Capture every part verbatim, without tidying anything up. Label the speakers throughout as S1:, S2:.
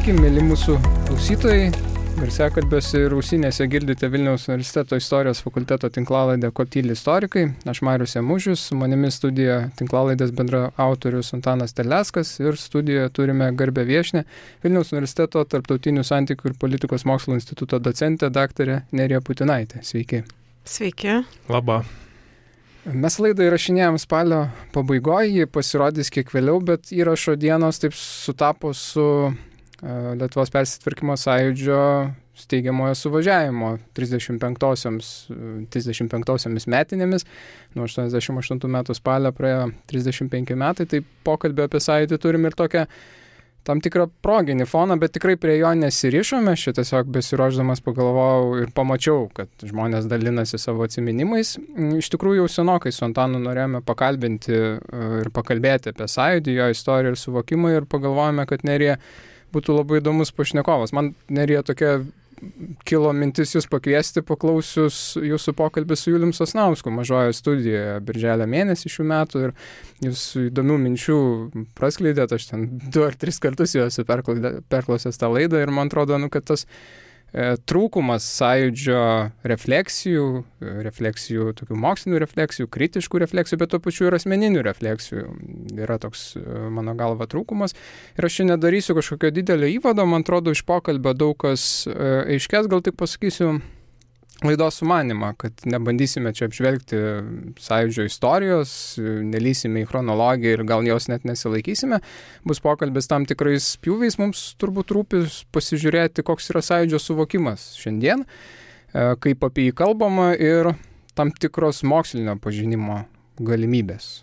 S1: Sveiki, mėly mūsų klausytojai. Garsiakalbiuose ir ausinėse girdite Vilniaus universiteto istorijos fakulteto tinklalaidę Ko tyli istorikai. Aš Marius Jamužius, su manimi studijoje tinklalaidės bendraautorius Antanas Terleckas ir studijoje turime garbę viešnią Vilniaus universiteto tarptautinių santykių ir politikos mokslų instituto docentę daktarę Nerija Putinaitė. Sveiki.
S2: Sveiki.
S3: Labą.
S1: Mes laidą įrašinėjom spalio pabaigoje, ji pasirodys kiek vėliau, bet įrašo dienos taip sutapo su Lietuvos persitvarkymo sąjūdžio steigiamojo suvažiavimo trisdešimt penktosiomis metinėmis. Nuo aštuoniasdešimt aštuntų metų spalio praėjo trisdešimt penki metai, tai pokalbį apie sąjūdį turim ir tokią tam tikrą proginį foną, bet tikrai prie jo nesirišome. Aš tiesiog besiruošdamas pagalvojau ir pamačiau, kad žmonės dalinasi savo atsiminimais. Iš tikrųjų jau senokai su Antanu norėjome pakalbinti ir pakalbėti apie sąjūdį, jo istoriją ir suvokimą ir pagalvojome, kad Nerija būtų labai įdomus pašnekovas. Man Nerija tokia kilo mintis jūs pakviesti, paklausius jūsų pokalbį su Julium Sosnausku mažojoje studijoje birželio mėnesį šių metų ir jūs įdomių minčių praskleidėt, aš ten du ar tris kartus jau esu perklausęs tą laidą ir man atrodo, nu, kad tas e, trūkumas sąjūdžio refleksijų, refleksijų, tokių mokslinių refleksijų, kritiškų refleksijų, bet to pačiu ir asmeninių refleksijų yra toks, mano galva, trūkumas. Ir aš čia nedarysiu kažkokio didelio įvado, man atrodo, iš pokalbio daug kas aiškės, gal tik pasakysiu laidos sumanimą, kad nebandysime čia apžvelgti sąjūdžio istorijos, nelysime į chronologiją ir gal jos net nesilaikysime. Bus pokalbis tam tikrais pjūviais, mums turbūt rūpi pasižiūrėti, koks yra sąjūdžio suvokimas šiandien, kaip apie jį kalbama ir tam tikros mokslinio pažinimo galimybės.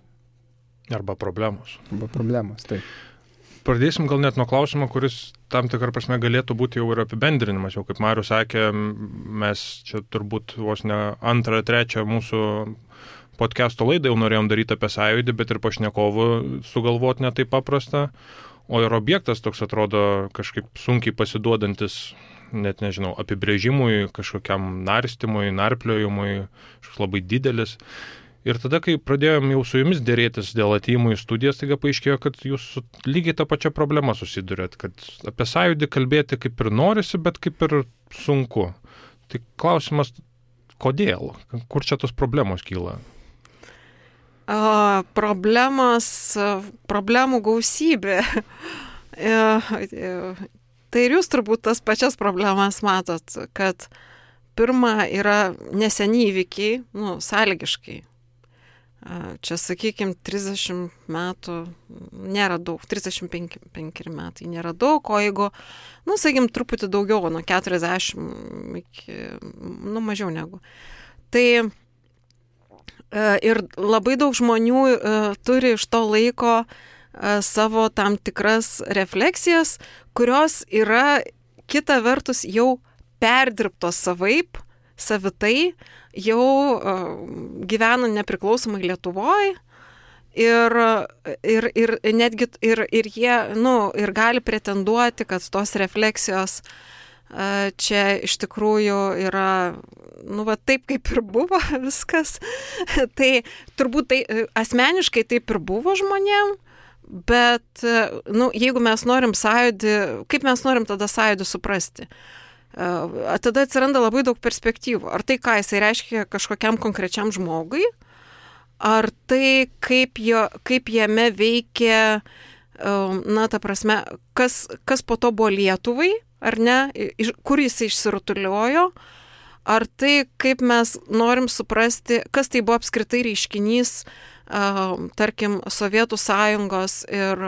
S3: Arba problemos.
S1: Arba problemos, taip.
S3: Pradėsim gal net nuo klausimo, kuris tam tikrą prasme galėtų būti jau ir apibendrinimas. Jau kaip Marius sakė, mes čia turbūt vos ne antrą, trečią mūsų podcast'o laidą jau norėjom daryti apie sąjūdį, bet ir pašnekovų sugalvoti ne taip paprasta. O ir objektas toks atrodo kažkaip sunkiai pasiduodantis, net nežinau, apibrėžimui, kažkokiam narstymui, narpliojimui, kažkoks labai didelis. Ir tada, kai pradėjom jau su jumis dėrėtis dėl atėjimų į studijas, taigi paaiškėjo, kad jūs lygiai tą pačią problemą susidurėt, kad apie sąjūdį kalbėti kaip ir norisi, bet kaip ir sunku. Tai klausimas, kodėl? Kur čia tos problemos kyla?
S2: O, problemos, problemų gausybė. Tai ir jūs turbūt tas pačias problemas matot, kad pirma yra neseni įvykiai, nu, sąlygiškai. Čia, sakykime, trisdešimt metų nėra daug, trisdešimt penki metai nėra daug, o jeigu, nu, sakykime, truputį daugiau, nuo keturiasdešimt iki, nu, mažiau negu. Tai ir labai daug žmonių turi iš to laiko savo tam tikras refleksijas, kurios yra kita vertus jau perdirbtos savaip, savitai, jau uh, gyvena nepriklausomai Lietuvoje ir, ir, ir netgi ir, ir jie, nu, ir gali pretenduoti, kad tos refleksijos uh, čia iš tikrųjų yra, nu, va, taip kaip ir buvo viskas. Tai turbūt tai asmeniškai taip ir buvo žmonėm, bet, nu, jeigu mes norim sąjūdį, kaip mes norim tada sąjūdį suprasti? Tada atsiranda labai daug perspektyvų. Ar tai, ką jisai reiškia kažkokiam konkrečiam žmogui, ar tai, kaip, jo, kaip jame veikia, na, ta prasme, kas, kas po to buvo Lietuvai, ar ne, kur jisai išsirutuliojo, ar tai, kaip mes norim suprasti, kas tai buvo apskritai reiškinys, tarkim, Sovietų sąjungos ir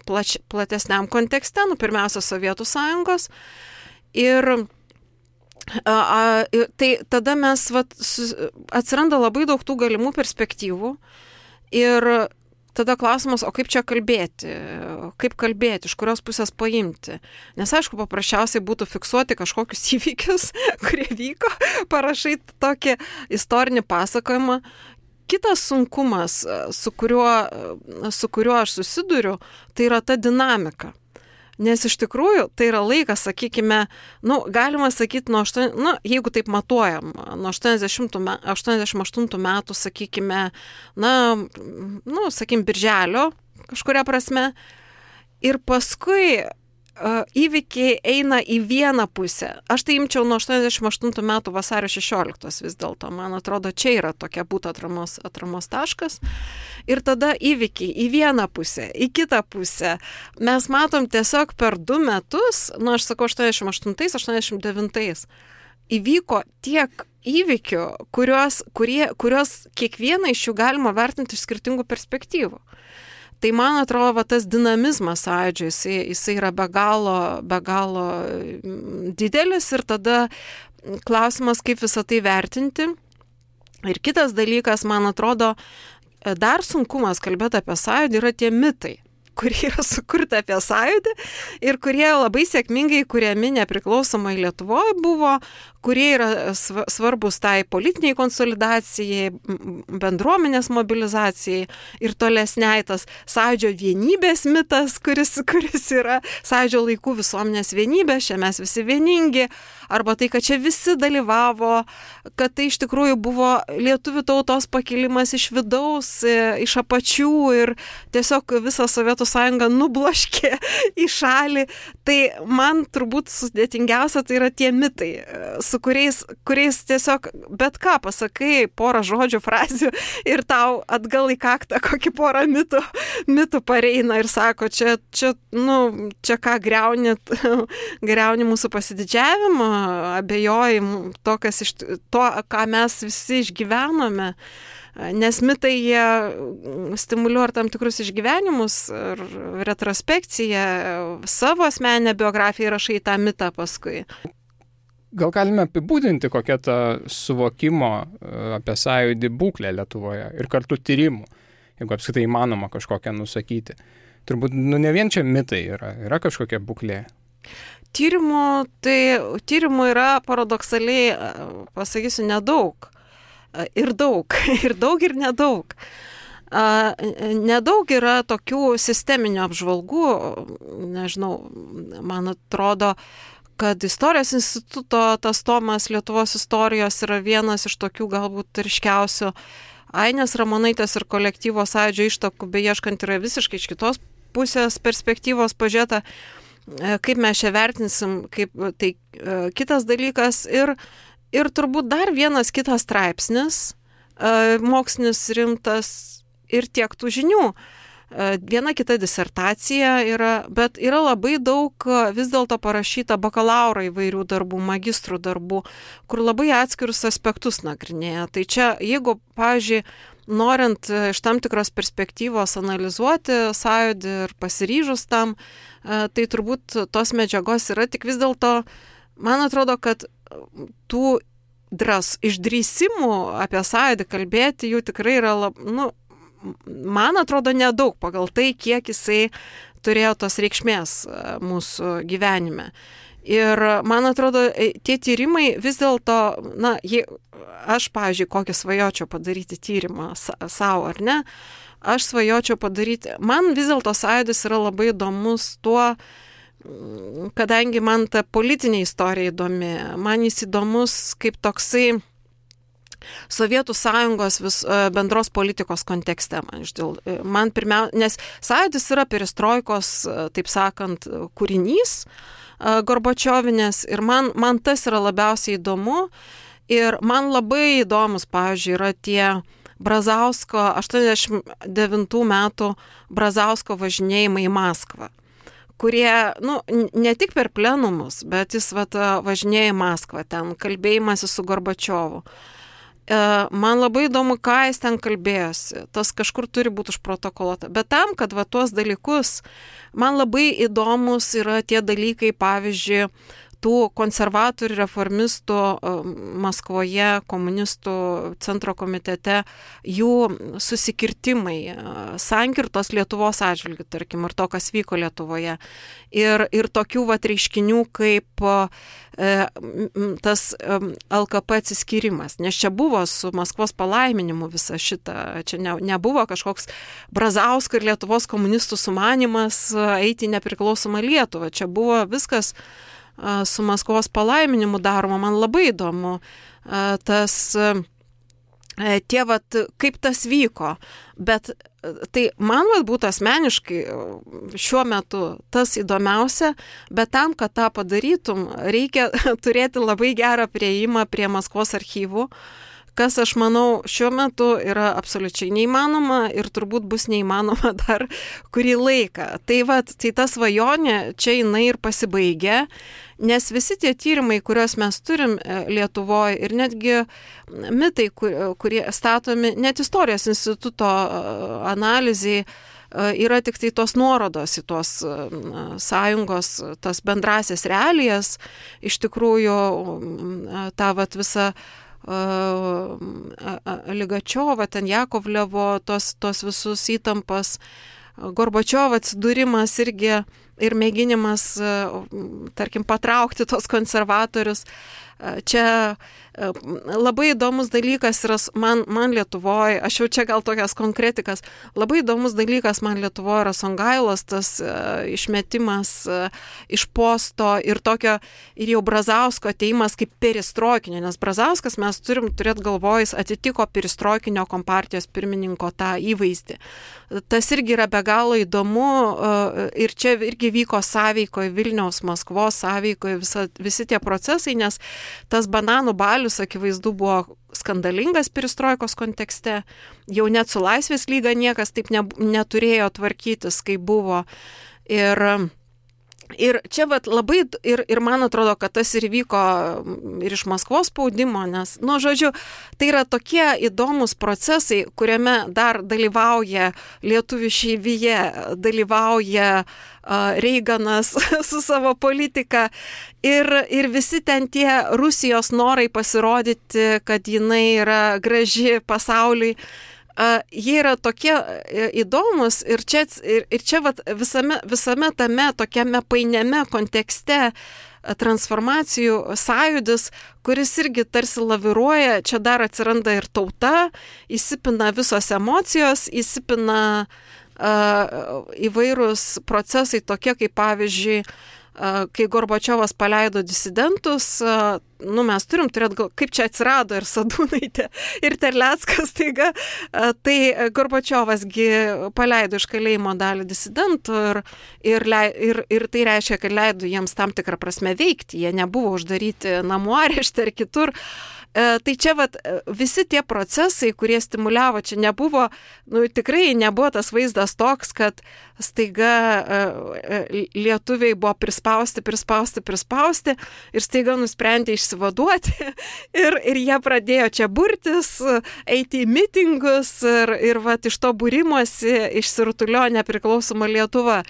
S2: plač, platesniam kontekste, nu, pirmiausia, Sovietų sąjungos. Ir a, a, tai tada mes, vat, su, atsiranda labai daug tų galimų perspektyvų ir tada klausimas, o kaip čia kalbėti, kaip kalbėti, iš kurios pusės paimti. Nes aišku, paprasčiausiai būtų fiksuoti kažkokius įvykius, kurie vyko, parašai tokį istorinį pasakojimą. Kitas sunkumas, su kuriuo, su kuriuo aš susiduriu, tai yra ta dinamika. Nes iš tikrųjų tai yra laikas, sakykime, nu, galima sakyti, nuo aštuoni, nu, jeigu taip matuojam, nuo aštuoniasdešimt aštuntų metų, sakykime, na, nu, sakykime, birželio kažkuria prasme. Ir paskui įvykiai eina į vieną pusę. Aš tai imčiau nuo aštuoniasdešimt aštuntų metų vasario šešioliktos vis dėlto. Man atrodo, čia yra tokia būtų atramos, atramos taškas. Ir tada įvykiai į vieną pusę, į kitą pusę. Mes matom tiesiog per du metus, nu aš sakau aštuoniasdešimt aštuntais, aštuoniasdešimt devintais, įvyko tiek įvykių, kurios, kurie, kurios kiekvieną iš jų galima vertinti iš skirtingų perspektyvų. Tai man atrodo, va, tas dinamizmas sąjūdžio, jisai, jisai yra be galo, be galo didelis ir tada klausimas, kaip visą tai vertinti. Ir kitas dalykas, man atrodo, dar sunkumas kalbėti apie sąjūdį yra tie mitai, kurie yra sukurti apie sąjūdį ir kurie labai sėkmingai kuriami nepriklausomai Lietuvoje buvo, kurie yra svarbus tai politiniai konsolidacijai, bendruomenės mobilizacijai ir tolesniai tas sąjūdžio vienybės mitas, kuris, kuris yra sąjūdžio laikų visuomenės vienybė, čia mes visi vieningi, arba tai, kad čia visi dalyvavo, kad tai iš tikrųjų buvo lietuvių tautos pakilimas iš vidaus, iš apačių ir tiesiog visą Sovietų sąjungą nubloškė į šalį. Tai man turbūt sudėtingiausia tai yra tie mitai, su kuriais, kuriais tiesiog bet ką pasakai, porą žodžių, frazių ir tau atgal į kaktą kokį porą mitų, mitų pareina ir sako, čia, čia, nu, čia ką griaunit, griauni mūsų pasididžiavimą, abejoji to, kas iš, to, ką mes visi išgyvenome. Nes mitai jie stimuliuoja tam tikrus išgyvenimus ir retrospekciją, savo asmeninę biografiją rašai tą mitą paskui.
S1: Gal galime apibūdinti, kokia ta suvokimo apie sąjūdį būklė Lietuvoje ir kartu tyrimų, jeigu apskritai įmanoma kažkokią nusakyti. Turbūt nu, ne vien čia mitai yra, yra kažkokia būklė.
S2: Tyrimų, tai tyrimų yra paradoksaliai, pasakysiu, nedaug. Ir daug, ir daug, ir nedaug. Nedaug yra tokių sisteminių apžvalgų, nežinau, man atrodo, kad Istorijos instituto tas tomas Lietuvos istorijos yra vienas iš tokių galbūt ryškiausių. Ainės Ramonaitės ir kolektyvo sąjūdžio ištakų beieškant yra visiškai iš kitos pusės perspektyvos pažiūrėta, kaip mes čia vertinsim, kaip tai kitas dalykas. Ir Ir turbūt dar vienas kitas straipsnis, mokslinis rimtas ir tiek tų žinių. Viena kita disertacija yra, bet yra labai daug vis dėlto parašyta bakalauro įvairių darbų, magistrų darbų, kur labai atskirus aspektus nagrinėja. Tai čia, jeigu, pavyzdžiui, norint iš tam tikros perspektyvos analizuoti sąjūdį ir pasiryžus tam, tai turbūt tos medžiagos yra, tik vis dėlto, man atrodo, kad tų dras, išdrįsimų apie sąjūdį kalbėti jų tikrai yra, lab, nu, man atrodo, nedaug pagal tai, kiek jisai turėjo tos reikšmės mūsų gyvenime. Ir man atrodo, tie tyrimai vis dėlto, na, jie, aš, pavyzdžiui, kokį svajočiau padaryti tyrimą savo, ar ne, aš svajočiau padaryti, man vis dėlto sąjūdis yra labai įdomus tuo, kadangi man ta politinė istorija įdomi, man jis įdomus kaip toksai Sovietų sąjungos vis, bendros politikos kontekste. Man, man pirmiausia, nes sąjūdis yra perestroikos, taip sakant, kūrinys Gorbačiovinės ir man, man tas yra labiausiai įdomu ir man labai įdomus, pavyzdžiui, yra tie Brazausko, aštuoniasdešimt devintų metų Brazausko važinėjimai į Maskvą, kurie, nu, ne tik per plenumus, bet jis vat, važinėja į Maskvą, ten kalbėjimasi su Gorbačiovu. Man labai įdomu, ką jis ten kalbėjosi, tas kažkur turi būti užprotokoluota. Bet tam, kad va tuos dalykus, man labai įdomus yra tie dalykai, pavyzdžiui, tų konservatorių reformistų Maskvoje, komunistų centro komitete, jų susikirtimai, sankirtos Lietuvos atžvilgiu, tarkim, ir to, kas vyko Lietuvoje. Ir, ir tokių vat reiškinių kaip e, tas e, L K P atsiskyrimas. Nes čia buvo su Maskvos palaiminimu visa šita, čia ne, nebuvo kažkoks Brazausko ir Lietuvos komunistų sumanimas eiti į nepriklausomą Lietuvą. Čia buvo viskas su Maskvos palaiminimu daroma. Man labai įdomu tas tie vat, kaip tas vyko, bet tai man vat būtų asmeniškai šiuo metu tas įdomiausia, bet tam, kad tą padarytum, reikia turėti labai gerą prieimą prie Maskvos archyvų, kas, aš manau, šiuo metu yra absoliučiai neįmanoma ir turbūt bus neįmanoma dar kurį laiką. Tai vat, tai ta svajonė čia jinai ir pasibaigia, nes visi tie tyrimai, kuriuos mes turim Lietuvoje ir netgi mitai, kurie statomi, net Istorijos instituto analizai, yra tik tai tos nuorodos į tos sąjungos, tas bendrasias realijas, iš tikrųjų tą vat visą Ligačiovą, ten Jakovlevo, tos, tos visus įtampas, Gorbačiovo atsidūrimas irgi ir mėginimas, tarkim, patraukti tos konservatorius. Čia labai įdomus dalykas yra man, man Lietuvoje, aš jau čia gal tokias konkretikas, labai įdomus dalykas man Lietuvoje yra Songailos, tas išmetimas iš posto ir tokio, ir jau Brazausko ateimas kaip perestroikinio, nes Brazauskas, mes turim turėti galvojus, atitiko perestroikinio kompartijos pirmininko tą įvaizdį. Tas irgi yra be galo įdomu ir čia irgi vyko sąveikoje, Vilniaus, Maskvos sąveikoje visa, visi tie procesai, nes tas bananų balius, akivaizdu, buvo skandalingas perestroikos kontekste, jau net su Laisvės lyga niekas taip ne, neturėjo tvarkytis, kaip buvo. Ir, ir čia vat, labai, ir, ir man atrodo, kad tas ir vyko ir iš Maskvos spaudimo, nes, nu, žodžiu, tai yra tokie įdomus procesai, kuriame dar dalyvauja lietuvių šeivija, dalyvauja Reiganas su savo politika ir, ir visi ten tie Rusijos norai pasirodyti, kad jinai yra graži pasauliui, jie yra tokie įdomus ir čia, ir, ir čia vat, visame, visame tame tokiame painiame kontekste transformacijų sąjūdis, kuris irgi tarsi laviruoja, čia dar atsiranda ir tauta, įsipina visos emocijos, įsipina įvairūs procesai tokie, kaip pavyzdžiui, kai Gorbačiovas paleido disidentus, nu, mes turim turėti, gal, kaip čia atsirado ir Sadūnaitė, ir Terleckas, taiga, tai Gorbačiovasgi paleido iš kalėjimo dalį disidentų ir, ir, ir, ir tai reiškia, kad leido jiems tam tikrą prasme veikti, jie nebuvo uždaryti namų arešte ar kitur. Tai čia vat, visi tie procesai, kurie stimuliavo, čia nebuvo, nu, tikrai nebuvo tas vaizdas toks, kad staiga lietuviai buvo prispausti, prispausti, prispausti ir staiga nusprendė išsivaduoti ir, ir jie pradėjo čia burtis, eiti į mitingus ir, ir vat, iš to būrimosi išsirutulio nepriklausoma Lietuva.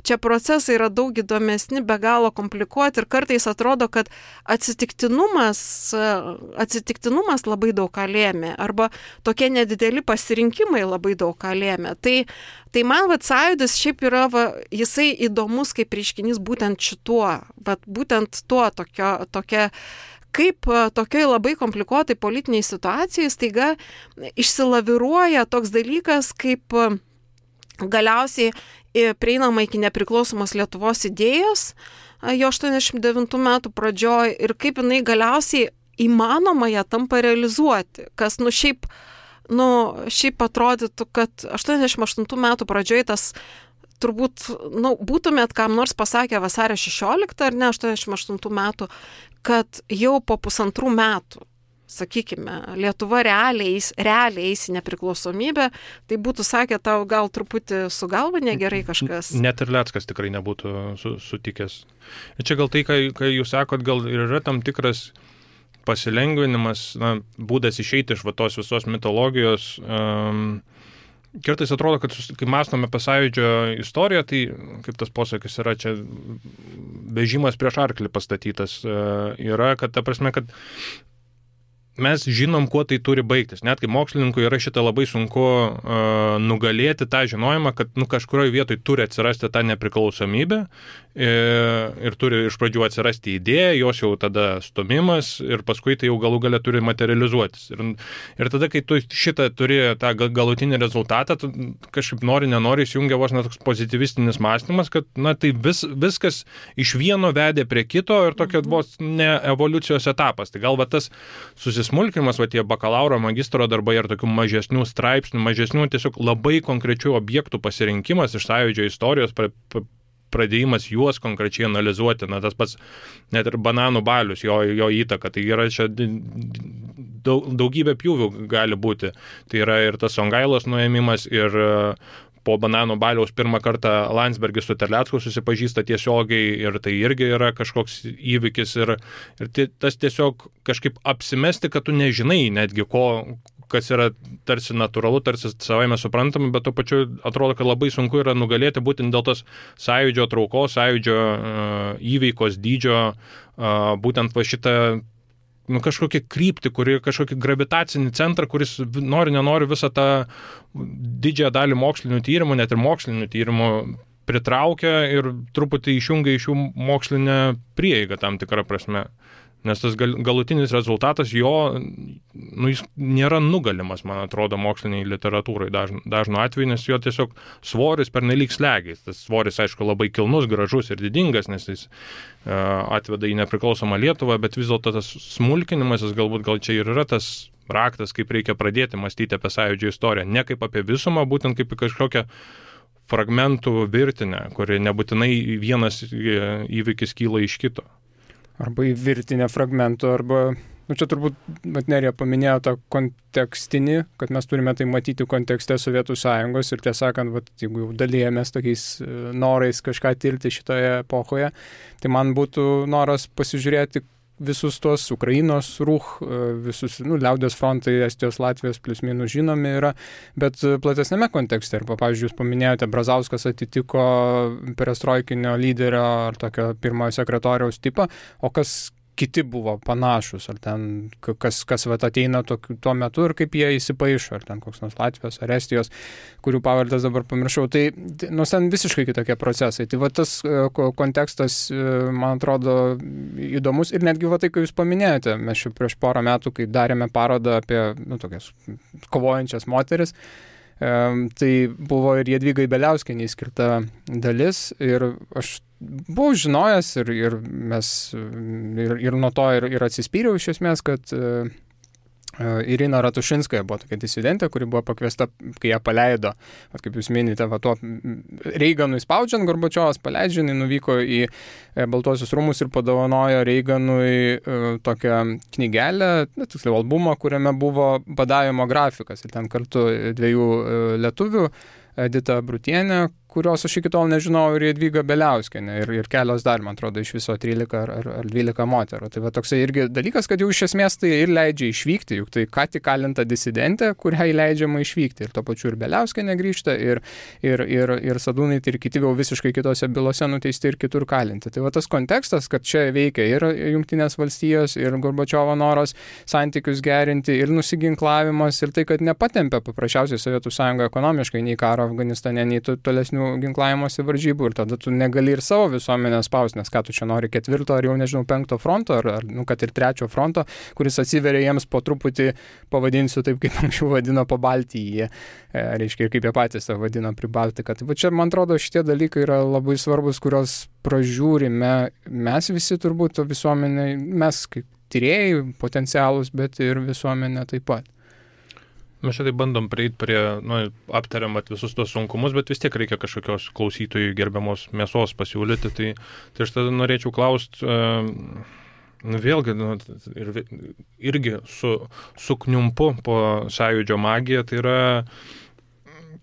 S2: Čia procesai yra daug įdomesni, be galo komplikuoti ir kartais atrodo, kad atsitiktinumas, atsitiktinumas labai daug ką lėmė arba tokie nedideli pasirinkimai labai daug ką lėmė. Tai, tai man vat sąjūdis šiaip yra, va, jisai įdomus kaip reiškinys būtent šituo, vat, būtent tuo tokio, tokia, kaip tokioj labai komplikuotai politiniai situacijai staiga išsilaviruoja toks dalykas, kaip galiausiai prieinama iki nepriklausomos Lietuvos idėjos jo aštuoniasdešimt devintų metų pradžioj ir kaip jinai galiausiai įmanoma ją tampa realizuoti, kas nu šiaip, nu, šiaip atrodytų, kad aštuoniasdešimt aštuntų metų pradžioj tas turbūt, nu, būtumėt kam nors pasakę vasario šešioliktą ar ne, aštuoniasdešimt aštuntų metų, kad jau po pusantrų metų, sakykime, Lietuva realiai, realiai eis į nepriklausomybę, tai būtų sakę tau gal truputį su galva negerai kažkas.
S3: Net ir Leckas tikrai nebūtų su, sutikęs. Ir čia gal tai, kai, kai jūs sakot, gal ir yra tam tikras pasilengvinimas, na, būdas išeiti iš va tos visos mitologijos. Um, kartais atrodo, kad kai mąstome apie Sąjūdžio istoriją, tai kaip tas posakis yra čia vežimas prieš arklį pastatytas, uh, yra, kad ta prasme, kad mes žinom, kuo tai turi baigtis. Net kaip mokslininkui yra šitą labai sunku uh, nugalėti tą žinojimą, kad nu, kažkurioje vietoje turi atsirasti tą nepriklausomybę ir turi iš pradžių atsirasti idėja, jos jau tada stumimas ir paskui tai jau galų gale turi materializuotis. Ir, ir tada, kai tu šitą turi tą galutinį rezultatą, tu kažkaip nori, nenori, įsijungia vos net toks pozitivistinis mąstymas, kad na, tai vis, viskas iš vieno vedė prie kito ir tokia vos ne evoliucijos etapas. Tai gal va tas susismulkimas, va tie bakalauro, magistro darbai ir tokių mažesnių straipsnių, mažesnių tiesiog labai konkrečių objektų pasirinkimas iš Sąjūdžio istorijos, pra, pra, pradėjimas juos konkrečiai analizuoti, na tas pats net ir bananų balius, jo, jo įtaka, tai yra čia daug, daugybė pjūvių gali būti. Tai yra ir tas Songailos nuėmimas, ir po bananų baliaus pirmą kartą Landsbergis su Terlecku susipažįsta tiesiogiai ir tai irgi yra kažkoks įvykis ir, ir tas tiesiog kažkaip apsimesti, kad tu nežinai netgi ko, kas yra tarsi natūralu, tarsi savaime suprantama, bet to pačiu atrodo, kad labai sunku yra nugalėti būtent dėl tos Sąjūdžio traukos, Sąjūdžio uh, įveikos dydžio, uh, būtent va šitą nu, kažkokią kryptį, kuri kažkokį gravitacinį centrą, kuris nori, nenori visą tą didžiąją dalį mokslinių tyrimų, net ir mokslinių tyrimų pritraukia ir truputį išjungia iš jų mokslinę prieigą tam tikrą prasme. Nes tas gal, galutinis rezultatas jo, nu, jis nėra nugalimas, man atrodo, moksliniai literatūrai dažnu, dažnu atveju, nes jo tiesiog svoris pernelyg slegiais. Tas svoris, aišku, labai kilnus, gražus ir didingas, nes jis uh, atveda į nepriklausomą Lietuvą, bet vis dėlto tas smulkinimasis galbūt gal čia ir yra tas raktas, kaip reikia pradėti mąstyti apie Sąjūdžio istoriją. Ne kaip apie visumą, būtent kaip kažkokią fragmentų virtinę, kuri nebūtinai vienas įvykis kyla iš kito.
S1: Arba į virtinę fragmentų, arba, nu čia turbūt, bet Nerija paminėjo tą kontekstinį, kad mes turime tai matyti kontekste Sovietų Sąjungos ir tiesąkant, vat, jeigu jau dalyjamės tokiais norais kažką tirti šitoje epochoje, tai man būtų noras pasižiūrėti visus tuos Ukrainos rūch, visus, nu, liaudės frontai, Estijos, Latvijos plius minus žinomi yra, bet platesnėme kontekste. Ir, pavyzdžiui, jūs paminėjote, Brazauskas atitiko perestroikinio lyderio ar tokio pirmojo sekretoriaus tipą, o kas kiti buvo panašus, ar ten kas, kas vat, ateina to, tuo metu ir kaip jie įsipaišo, ar ten koks nors Latvijos ar Estijos, kurių pavardes dabar pamiršau. Tai, nu, ten visiškai kitokie procesai. Tai va tas kontekstas, man atrodo, įdomus ir netgi va tai, kai jūs paminėjote, mes šiuo prieš porą metų, kai darėme parodą apie, nu, tokias kovojančias moteris, tai buvo ir Jadvygai Beliauskienei skirta dalis ir aš buvau žinojęs ir, ir mes ir, ir nuo to ir, ir atsispyriau iš esmės, kad Irina Ratušinskaja buvo tokia disidentė, kuri buvo pakviesta, kai ją paleido, at kaip jūs minite, va tuo Reiganui spaudžiant, Gorbačiovas paleidžia, jinai nuvyko į Baltuosius rūmus ir padovanojo Reiganui tokią knygelę, tiksliau albumą, kuriame buvo badavimo grafikas ir ten kartu dviejų lietuvių, Edita Brutienė, kurios aš iki tol nežinau, ir Jadvyga Beliauskienė, ir, ir kelios dar, man atrodo, iš viso trylika ar, ar dvylika moterų. Tai va toksai irgi dalykas, kad jau iš esmės tai ir leidžia išvykti, juk tai ką tik kalinta disidentė, kuriai leidžiama išvykti. Ir to pačiu ir Beliauskienė grįžta, ir, ir, ir, ir Sadūnai, ir kiti jau visiškai kitose bylose nuteisti ir kitur kalinti. Tai va tas kontekstas, kad čia veikia ir Jungtinės valstijos, ir Gorbačiovo noras santykius gerinti, ir nusiginklavimas, ir tai, kad nepatempia paprasčiausiai Sovietų Sąjunga ekonomiškai nei karo Afganistane, nei tolesnių ginklavimuose varžybų ir tada tu negali ir savo visuomenę spausti, nes ką tu čia nori ketvirto ar jau nežinau penkto fronto ar, ar nu, kad ir trečio fronto, kuris atsiveria jiems po truputį, pavadinsiu taip, kaip anksčiau vadino po Baltiją, e, reiškia, kaip jie patys savo vadino prie Baltiką. Tai va čia, man atrodo, šitie dalykai yra labai svarbus, kurios pražiūrime mes visi turbūt visuomenė, mes kaip tyrėjai potencialus, bet ir visuomenė taip pat.
S3: Mes šitai bandom prieiti prie, nu, aptariam visus tos sunkumus, bet vis tiek reikia kažkokios klausytojų gerbiamos mėsos pasiūlyti. Tai, tai aš tada norėčiau klausti, nu, vėlgi, nu, ir, irgi su, sukniumpu po Sąjūdžio magiją, tai yra,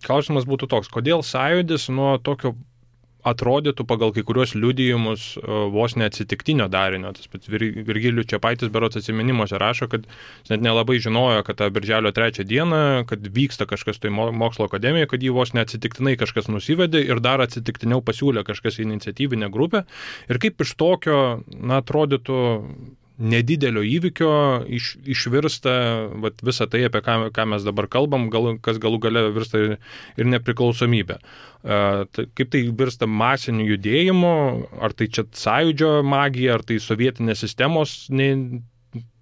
S3: klausimas būtų toks, kodėl Sąjūdis nuo tokio atrodytų pagal kai kuriuos liudijimus vos neatsitiktinio darinio. Tas pats Virgilijus Čepaitis berods atsiminimuose rašo, kad jis net nelabai žinojo, kad tą birželio trečią dieną, kad vyksta kažkas tai mokslo akademijoje, kad jį vos neatsitiktinai kažkas nusivedė ir dar atsitiktiniau pasiūlė kažkas iniciatyvinę grupę. Ir kaip iš tokio, na, atrodytų nedidelio įvykio iš, išvirsta vat, visą tai, apie ką, ką mes dabar kalbam, gal, kas galų gale virsta ir, ir nepriklausomybė. Uh, tai, kaip tai virsta masiniu judėjimu, ar tai čia sąjūdžio magija, ar tai sovietinės sistemos ne,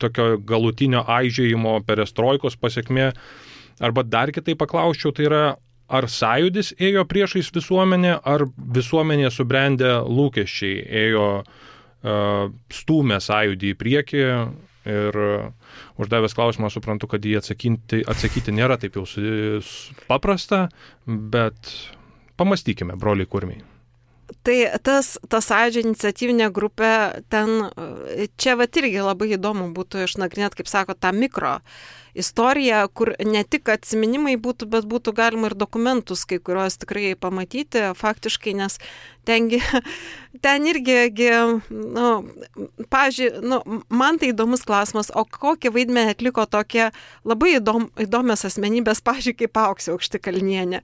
S3: tokio galutinio aižėjimo perestroikos pasiekmė, arba dar kitai paklausčiau, tai yra, ar sąjūdis ėjo priešais visuomenę, ar visuomenė subrendę lūkesčiai ėjo uh, stūmė sąjūdį į priekį ir uh, uždavęs klausimą suprantu, kad jį atsakyti, atsakyti nėra taip jau paprasta, bet pamastykime, broliai kurmiai.
S2: Tai tas, tas sąjūdžio iniciatyvinė grupė, ten, čia vat irgi labai įdomu būtų išnagrinėti, kaip sako, tą mikro istoriją, kur ne tik atsiminimai būtų, bet būtų galima ir dokumentus, kai kuriuos tikrai pamatyti faktiškai, nes tengi, ten irgi, nu, pavyzdžiui, nu, man tai įdomus klausimas, o kokį vaidmenį atliko tokie labai įdom, įdomios asmenybės, pavyzdžiui, kaip Auksė Aukštikalnienė,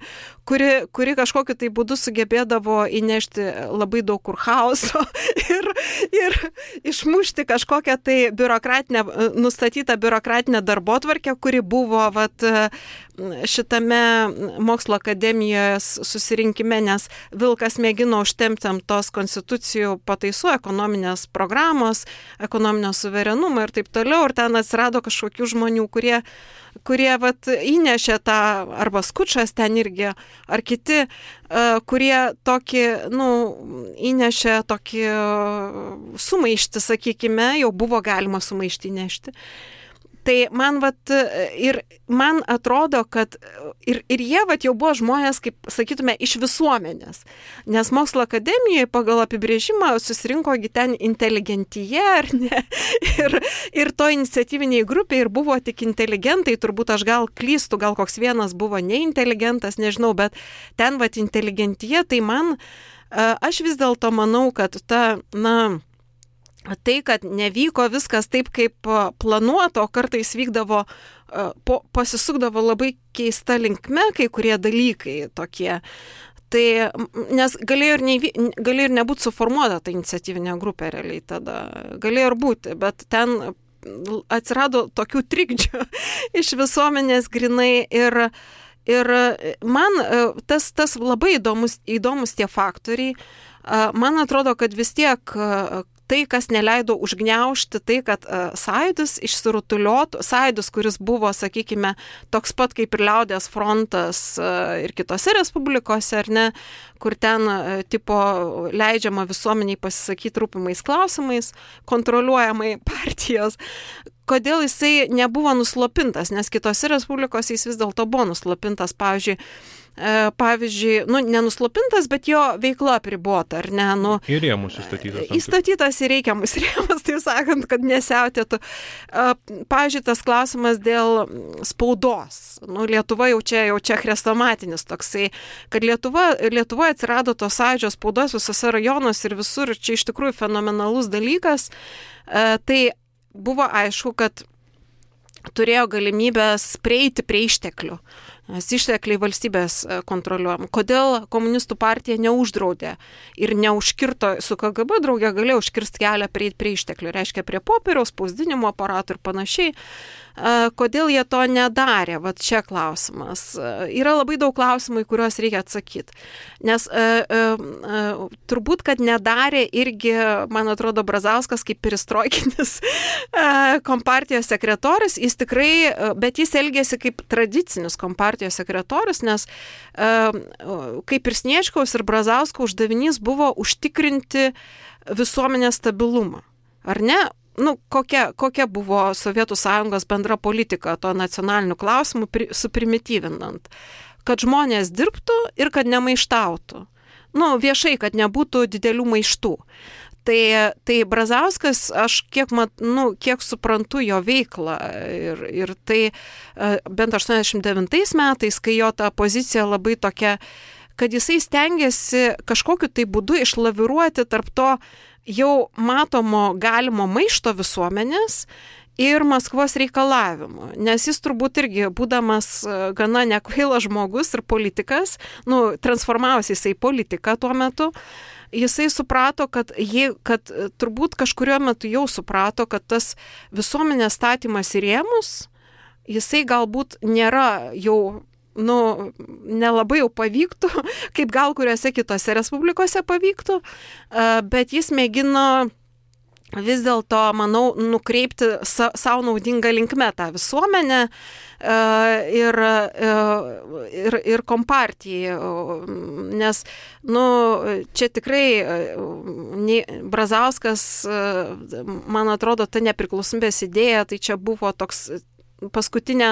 S2: kuri, kuri kažkokiu tai būdu sugebėdavo įnešti labai daug kur chaoso ir, ir išmušti kažkokią tai biurokratinę, nustatytą biurokratinę darbotvarkę, kuri buvo vat, šitame mokslo akademijos susirinkime, nes Vilkas mėgino užtempti tos konstitucijų pataisų, ekonominės programos, ekonominio suverenumo ir taip toliau. Ir ten atsirado kažkokių žmonių, kurie, kurie vat, įnešė tą, arba Skučas ten irgi, ar kiti, kurie tokį, nu, įnešė tokį sumaištį, sakykime, jau buvo galima sumaištį nešti. Tai man, vat, ir man atrodo, kad ir, ir jie vat, jau buvo žmonės, kaip sakytume, iš visuomenės. Nes mokslo akademijoje pagal apibrėžimą susirinkogi ten inteligentija, ar ne? Ir, ir to iniciatyviniai grupė ir buvo tik inteligentai, turbūt aš gal klystu, gal koks vienas buvo neinteligentas, nežinau, bet ten vat inteligentija, tai man, aš vis dėlto manau, kad ta, na, tai, kad nevyko viskas taip, kaip planuoto, kartais vykdavo, po, pasisukdavo labai keista linkme kai kurie dalykai tokie. Tai, nes galėjo ir, neįvy, galėjo ir nebūti suformuota ta iniciatyvinė grupė realiai tada. Galėjo ir būti, bet ten atsirado tokių trikdžių iš visuomenės grinai ir, ir man tas, tas labai įdomus, įdomus tie faktoriai. Man atrodo, kad vis tiek tai, kas neleido užgniaužti, tai, kad uh, sąjūdis išsirutuliotų, sąjūdis, kuris buvo, sakykime, toks pat kaip ir Liaudies frontas uh, ir kitose respublikose, ar ne, kur ten uh, tipo leidžiama visuomeniai pasisakyti rūpimais klausimais, kontroliuojamai partijos. Kodėl jisai nebuvo nuslopintas, nes kitose respublikose jis vis dėlto buvo nuslopintas, pavyzdžiui, pavyzdžiui, nu, nenuslopintas, bet jo veikla apribota, ar ne? Nu,
S3: į rėmus įstatytas.
S2: Įstatytas į reikiamus rėmus, taip sakant, kad nesiautėtų. Pavyzdžiui, tas klausimas dėl spaudos. Nu, Lietuva jau čia, jau čia chrestomatinis toksai, kad Lietuva, Lietuvoje atsirado tos sąjūdžio spaudos visose rajonuose ir visur, čia iš tikrųjų fenomenalus dalykas. Tai buvo aišku, kad turėjo galimybės prieiti prie išteklių. Nes ištekliai valstybės kontroliuojam. Kodėl komunistų partija neuždraudė ir neužkirto, su K G B draugė galėjo užkirsti kelią prie, prie išteklių, reiškia prie popieriaus, spausdinimo aparatų ir panašiai. Kodėl jie to nedarė? Vat čia klausimas. Yra labai daug klausimų, į kuriuos reikia atsakyti. Nes e, e, turbūt, kad nedarė irgi, man atrodo, Brazauskas kaip perestroikinis e, kompartijos sekretorius, jis tikrai, bet jis elgėsi kaip tradicinis kompartijos sekretorius, nes e, kaip ir Sniečkaus ir Brazausko uždavinys buvo užtikrinti visuomenės stabilumą. Ar ne? Nu, kokia, kokia buvo Sovietų Sąjungos bendra politika to nacionalinių klausimų pri, suprimityvinant? Kad žmonės dirbtų ir kad nemaištautų. Nu, viešai, kad nebūtų didelių maištų. Tai, tai Brazauskas, aš kiek, mat, nu, kiek suprantu jo veiklą ir, ir tai bent aštuoniasdešimt devintais metais, kai jo ta pozicija labai tokia, kad jisai stengiasi kažkokiu tai būdu išlaviruoti tarp to jau matomo galimo maišto visuomenės ir Maskvos reikalavimų, nes jis turbūt irgi, būdamas gana nekvailas žmogus ir politikas, nu, transformavosi jisai politiką tuo metu, jisai suprato, kad, jie, kad turbūt kažkurio metu jau suprato, kad tas visuomenės statymas į rėmus, jisai galbūt nėra jau, nu, nelabai jau pavyktų, kaip gal kuriuose kitose respublikose pavyktų, bet jis mėgino vis dėlto, manau, nukreipti sa, savo naudingą linkmę tą visuomenę ir, ir, ir kompartijai, nes, nu, čia tikrai Brazauskas, man atrodo, ta nepriklausomybės idėja, tai čia buvo toks paskutinė,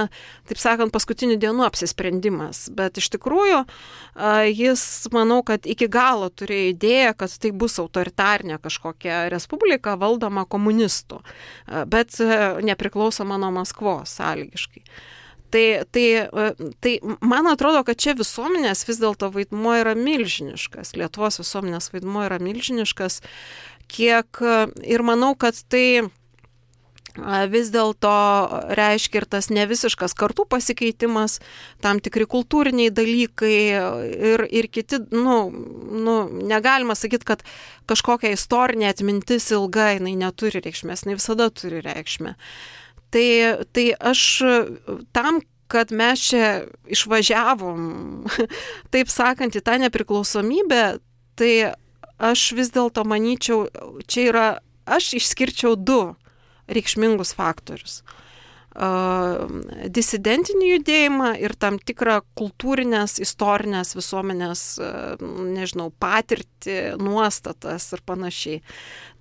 S2: taip sakant, paskutinių dienų apsisprendimas. Bet iš tikrųjų jis, manau, kad iki galo turėjo idėją, kad tai bus autoritarinė kažkokia respublika valdoma komunistų, bet nepriklausoma nuo Maskvos sąlygiškai. Tai, tai, tai man atrodo, kad čia visuomenės vis dėlto vaidmuo yra milžiniškas, Lietuvos visuomenės vaidmuo yra milžiniškas, kiek ir manau, kad tai vis dėlto reiškia ir tas nevisiškas kartų pasikeitimas, tam tikri kultūriniai dalykai ir, ir kiti, nu, nu, negalima sakyti, kad kažkokia istorinė atmintis ilga, jinai neturi reikšmės, jinai visada turi reikšmę. Tai, tai aš tam, kad mes čia išvažiavom, taip sakant, į tą nepriklausomybę, tai aš vis dėlto manyčiau, čia yra, aš išskirčiau du reikšmingus faktorius. Disidentinį judėjimą ir tam tikrą kultūrinės, istorinės visuomenės, nežinau, patirtį, nuostatas ir panašiai.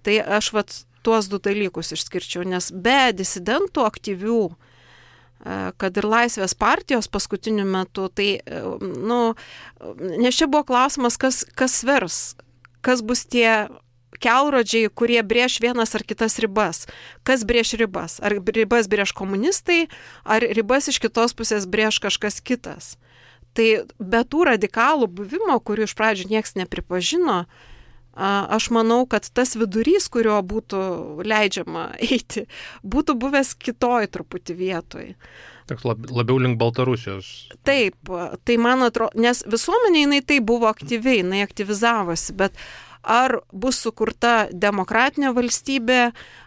S2: Tai aš vat tuos du dalykus išskirčiau, nes be disidentų aktyvių, kad ir Laisvės partijos paskutiniu metu, tai, nu, nes čia buvo klausimas, kas, kas svers, kas bus tie kelrodžiai, kurie brėš vienas ar kitas ribas. Kas brėš ribas? Ar ribas brėš komunistai, ar ribas iš kitos pusės brėš kažkas kitas? Tai be tų radikalų buvimo, kurių iš pradžių nieks nepripažino, aš manau, kad tas vidurys, kurio būtų leidžiama eiti, būtų buvęs kitoj truputį vietoj.
S3: Toks labiau link Baltarusijos.
S2: Taip, tai man atrodo, nes visuomenė jinai tai buvo aktyviai, jinai aktyvizavosi, bet ar bus sukurta demokratinė valstybė,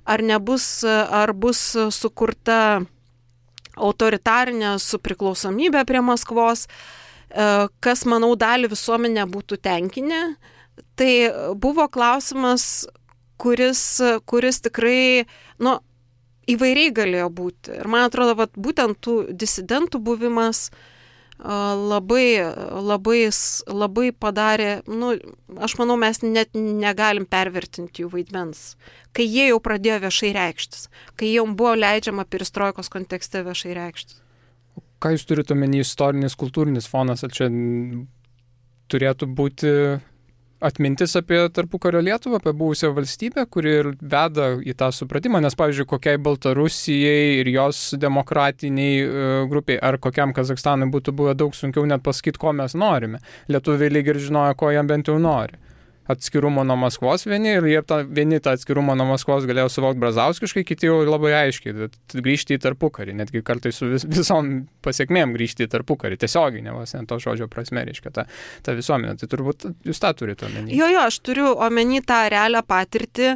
S2: ar nebus, ar bus sukurta autoritarinė su priklausomybė prie Maskvos, kas, manau, dalį visuomenę būtų tenkinę. Tai buvo klausimas, kuris, kuris tikrai, nu, įvairiai galėjo būti. Ir man atrodo, vat, būtent tų disidentų buvimas labai, labai, labai padarė, nu, aš manau, mes net negalim pervertinti jų vaidmens, kai jie jau pradėjo viešai reikštis, kai jau buvo leidžiama perestroikos kontekste viešai reikštis.
S1: Ką jūs turite omeny istorinis, kultūrinis fonas, ar čia turėtų būti atmintis apie tarpukario Lietuvą, apie buvusią valstybę, kuri ir veda į tą supratimą, nes, pavyzdžiui, kokiai Baltarusijai ir jos demokratiniai uh, grupiai, ar kokiam Kazakstanui būtų buvę daug sunkiau net pasakyti, ko mes norime. Lietuviai lyg ir žinojo, ko jam bent jau nori. Atskirumo nuo Maskvos vieni, ir jie tą, vieni tą atskirumą nuo Maskvos galėjo suvokti brazauskiškai, kiti jau labai aiškiai, grįžti į tarpukarį, netgi kartais su vis, visom pasiekmėm grįžti į tarpukarį, tiesiogiai, ne vos ne to žodžio prasme, reiškia, ta, ta visuomenė. Tai turbūt jūs tą turite omeny.
S2: Jo, jo, aš turiu omeny tą realią patirtį,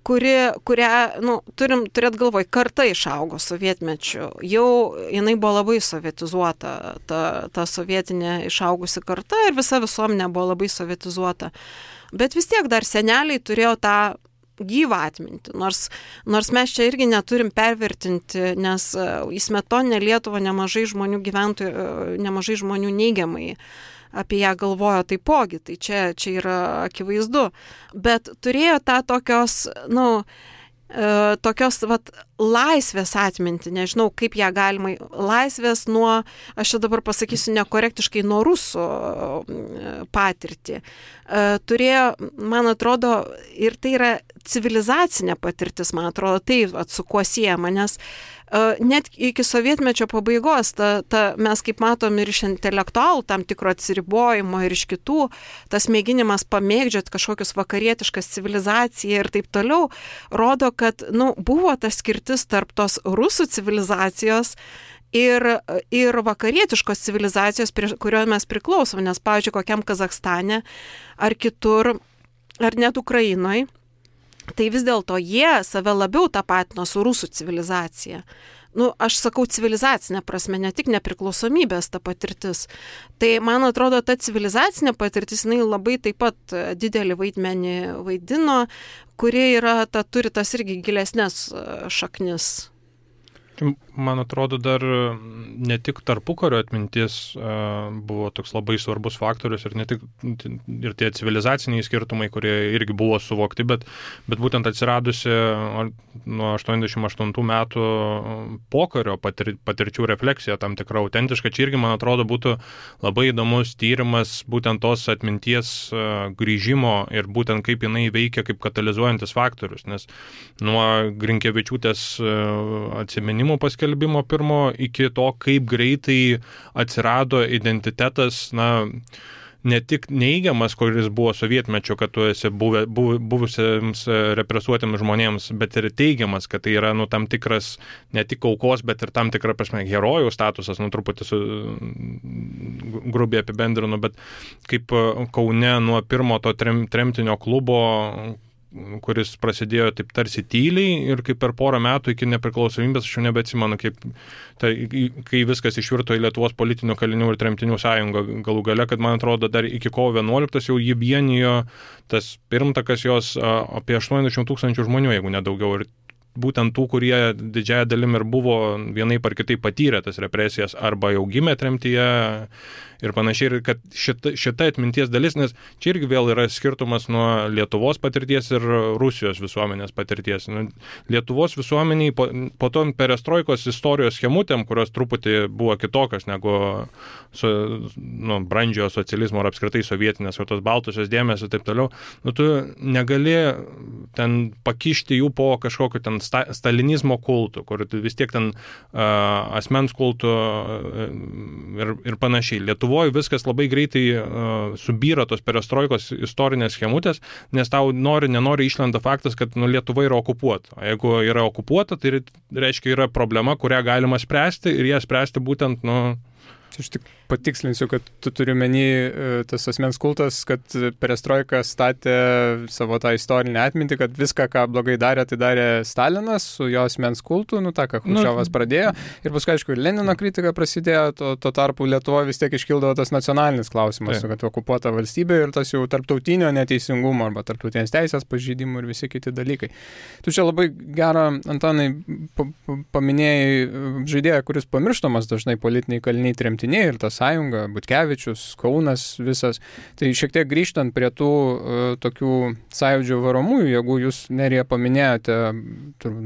S2: kuri, kurią, nu, turim turėt galvoj, karta išaugo sovietmečiu. Jau jinai buvo labai sovietizuota, ta, ta sovietinė išaugusi karta ir visa visuomenė buvo labai sovietizuota. Bet vis tiek dar seneliai turėjo tą gyvą atmintį, nors, nors mes čia irgi neturim pervertinti, nes į smetoninę Lietuvą nemažai žmonių gyventojų, nemažai žmonių neigiamai apie ją galvojo taipogi, tai čia, čia yra akivaizdu. Bet turėjo tą tokios, nu, e, tokios, vat, laisvės atminti, nežinau, kaip ją galima, laisvės nuo, aš čia dabar pasakysiu nekorektiškai, nuo rusų patirtį. E, turėjo, man atrodo, ir tai yra civilizacinė patirtis, man atrodo, tai vat, su kuo siejama, nes net iki sovietmečio pabaigos, ta, ta, mes kaip matom ir iš intelektualų tam tikro atsiribojimo ir iš kitų, tas mėginimas pamėgdžioti kažkokius vakarietiškas civilizaciją ir taip toliau, rodo, kad, nu, buvo ta skirtis skirtis tarp tos rusų civilizacijos ir, ir vakarietiškos civilizacijos, prie kurio mes priklausom, nes, pavyzdžiui, kokiam Kazachstane ar kitur, ar net Ukrainoje, tai vis dėlto jie save labiau tapatino su rusų civilizacija. Nu, aš sakau civilizacinė prasme, ne tik nepriklausomybės ta patirtis. Tai, man atrodo, ta civilizacinė patirtis, jinai labai taip pat didelį vaidmenį vaidino, kuri yra, ta, turi tas irgi gilesnės šaknis.
S3: Man atrodo, dar ne tik tarpukario atmintis buvo toks labai svarbus faktorius ir ne tik ir tie civilizaciniai skirtumai, kurie irgi buvo suvokti, bet, bet būtent atsiradusi nuo aštuoniasdešimt aštuntų metų pokario patir, patirčių refleksija tam tikra autentiška. Čia irgi, man atrodo, būtų labai įdomus tyrimas būtent tos atminties grįžimo ir būtent kaip jinai veikia kaip katalizuojantis faktorius, nes nuo Grinkevičiūtės atsiminimų paskelbimo pirmo iki to, kaip greitai atsirado identitetas, na, ne tik neigiamas, kuris buvo sovietmečio, kad tu esi buvę, buv, buvusiems represuotiems žmonėms, bet ir teigiamas, kad tai yra, nu, tam tikras ne tik aukos, bet ir tam tikra prasme herojų statusas, nu, truputį su, grubiai apibendrinu, bet kaip Kaune nuo pirmo to trem, tremtinio klubo, kuris prasidėjo taip tarsi tyliai ir kaip per porą metų iki nepriklausomybės, aš jau nebeatsimenu, kaip, tai, kai viskas išvirto į Lietuvos politinių kalinių ir tremtinių sąjungą galų gale, kad man atrodo dar iki kovo vienuoliktos jau jį vienijo tas pirmtakas jos apie aštuoniasdešimt tūkstančių žmonių, jeigu nedaugiau. Ir būtent tų, kurie didžiąją dalim ir buvo vienaip ar kitaip patyrę tas represijas arba jau gimė tremtyje ir panašiai, ir kad šita, šita atminties dalis, nes čia irgi vėl yra skirtumas nuo Lietuvos patirties ir Rusijos visuomenės patirties. Lietuvos visuomeniai po, po to perestroikos istorijos schemutėm, kurios truputį buvo kitokios negu su, nu, brandžiojo socializmo ar apskritai sovietinės, o tos baltusios dėmesio ir taip toliau, nu, tu negali ten pakišti jų po kažkokiu ten sta, stalinizmo kultų, kur vis tiek ten uh, asmens kultų uh, ir, ir panašiai. Lietuvoje viskas labai greitai uh, subyra tos perestroikos istorinės schemutės, nes tau nori, nenori išlenda faktas, kad nu, Lietuva yra okupuota. O jeigu yra okupuota, tai reiškia yra problema, kurią galima spręsti ir ją spręsti būtent, nu...
S1: Aš tik patikslinsiu, kad tu turi menį tas asmens kultas, kad perestroika statė savo tą istorinę atmintį, kad viską, ką blogai darė, tai darė Stalinas su jo asmens kultu, nu tą, ką Chruščiovas nu, pradėjo. Ir paskui, aišku, Lenino kritika prasidėjo, to, to tarpu Lietuvoje vis tiek iškildavo tas nacionalinis klausimas, tai. Kad okupuota valstybė ir tas jau tarptautinio neteisingumo arba tarptautinės teisės pažeidimų ir visi kiti dalykai. Tu čia labai gerą, Antanai, paminėjai žaidėją, kuris pamirštamas dažnai politiniai kaliniai tremtiniai ir ta sąjunga, Butkevičius, Kaunas visas. Tai šiek tiek grįžtant prie tų uh, tokių sąjūdžio varomųjų, jeigu jūs Nerija paminėjote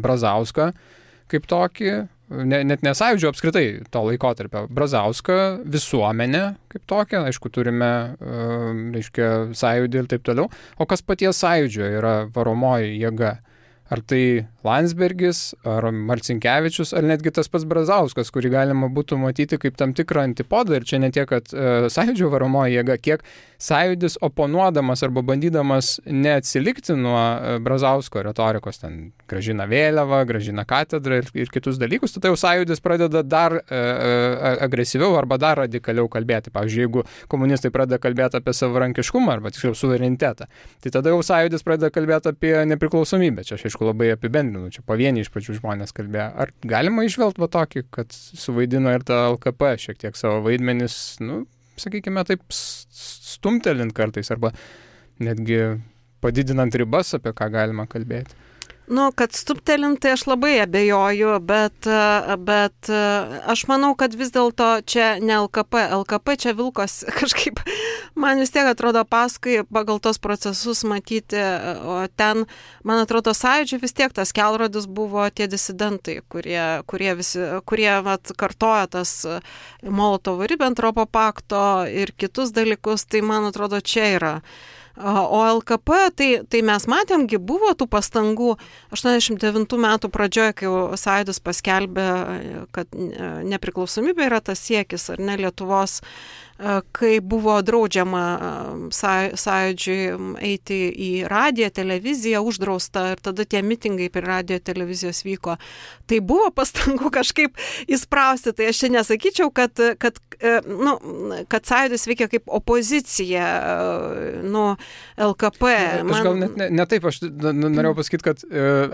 S1: Brazauską kaip tokį, ne, net ne sąjūdžio apskritai to laikotarpio, Brazauską, visuomenę kaip tokią, aišku, turime uh, reiškia, sąjūdį ir taip toliau, o kas paties sąjūdžio yra varomoji jėga? Ar tai Landsbergis, ar Marcinkevičius, ar netgi tas pats Brazauskas, kurį galima būtų matyti kaip tam tikrą antipodą. Ir čia ne tiek, kad e, sąjūdžio varomoji jėga, kiek sąjūdis oponuodamas arba bandydamas neatsilikti nuo e, Brazausko retorikos, ten grąžina vėliavą, grąžina katedrą ir, ir kitus dalykus, tada jau sąjūdis pradeda dar e, e, agresyviau arba dar radikaliau kalbėti. Pavyzdžiui, jeigu komunistai pradeda kalbėti apie savarankiškumą arba tiksliau suverenitetą, tai tada jau sąjūdis pradeda kalbėti apie nepriklausomybę. Čia aš aišku labai apibendrinu, čia pavieniai iš pačių žmonės kalbėjo. Ar galima išvelgti va tokį, kad suvaidino ir ta L K P šiek tiek savo vaidmenis, nu, sakykime, taip stumtelint kartais arba netgi padidinant ribas, apie ką galima kalbėti?
S2: Nu, kad stuptelint, tai aš labai abejoju, bet, bet aš manau, kad vis dėlto čia ne L K P. L K P čia vilkos kažkaip, man vis tiek atrodo paskui pagal tos procesus matyti, o ten, man atrodo, sąjūdžiui vis tiek tas kelrodis buvo tie disidentai, kurie, kurie, visi, kurie vat, kartoja tas Molotovo-Ribentropo pakto ir kitus dalykus, tai man atrodo čia yra O L K P, tai, tai mes matėmgi, buvo tų pastangų aštuoniasdešimt devintų metų pradžioje, kai Sąjūdis paskelbė, kad nepriklausomybė yra tas siekis, ar ne, Lietuvos, kai buvo draudžiama Sąjūdžiui eiti į radiją, televiziją, uždrausta ir tada tie mitingai prie radijo televizijos vyko. Tai buvo pastangų kažkaip įsprausti, tai aš čia nesakyčiau, kad, kad, nu, kad Sąjūdis veikia kaip opozicija, nu, L K P.
S1: Man... Aš gal net ne, ne taip, aš norėjau pasakyti, kad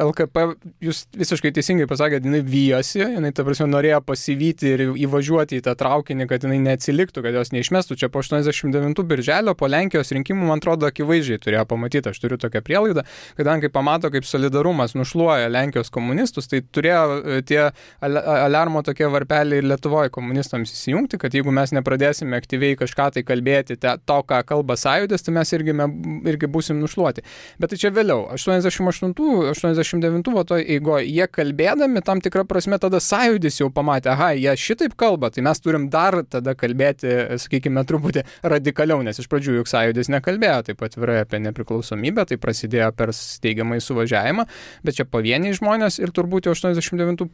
S1: L K P, jūs visiškai teisingai pasakėte, jinai vyjosi, jinai, ta prasme, norėjo pasivyti ir įvažiuoti į tą traukinį, kad jinai neatsiliktų, kad jos neišmestų. Čia po aštuoniasdešimt devintų birželio, po Lenkijos rinkimų, man atrodo, akivaizdžiai turėjo pamatyti, aš turiu tokią prielaidą, kadangi pamato, kaip solidarumas nušluoja Lenkijos komunistus, tai turėjo tie aliarmo tokie varpeliai ir Lietuvoje komunistams įsijungti, kad jeigu mes nepradėsime aktyviai kažką tai kalbėti, te, to, ką kalba Sąjūdis, tai mes irgi, me, irgi būsim nušluoti. Bet tai čia vėliau, aštuoniasdešimt aštuntų, aštuoniasdešimt devintų va toj eigoje, jie kalbėdami tam tikrą prasme tada Sąjūdis jau pamatė, aha, jie šitaip kalba, tai mes turim dar tada kalbėti, sakykime, truputį radikaliau, nes iš pradžių juk Sąjūdis nekalbėjo taip atvirai apie nepriklausomybę, tai prasidėjo per steigiamą suvažiavimą, bet čia pavieniai žmonės ir turbūt jau aštuoniasdešimt devintų,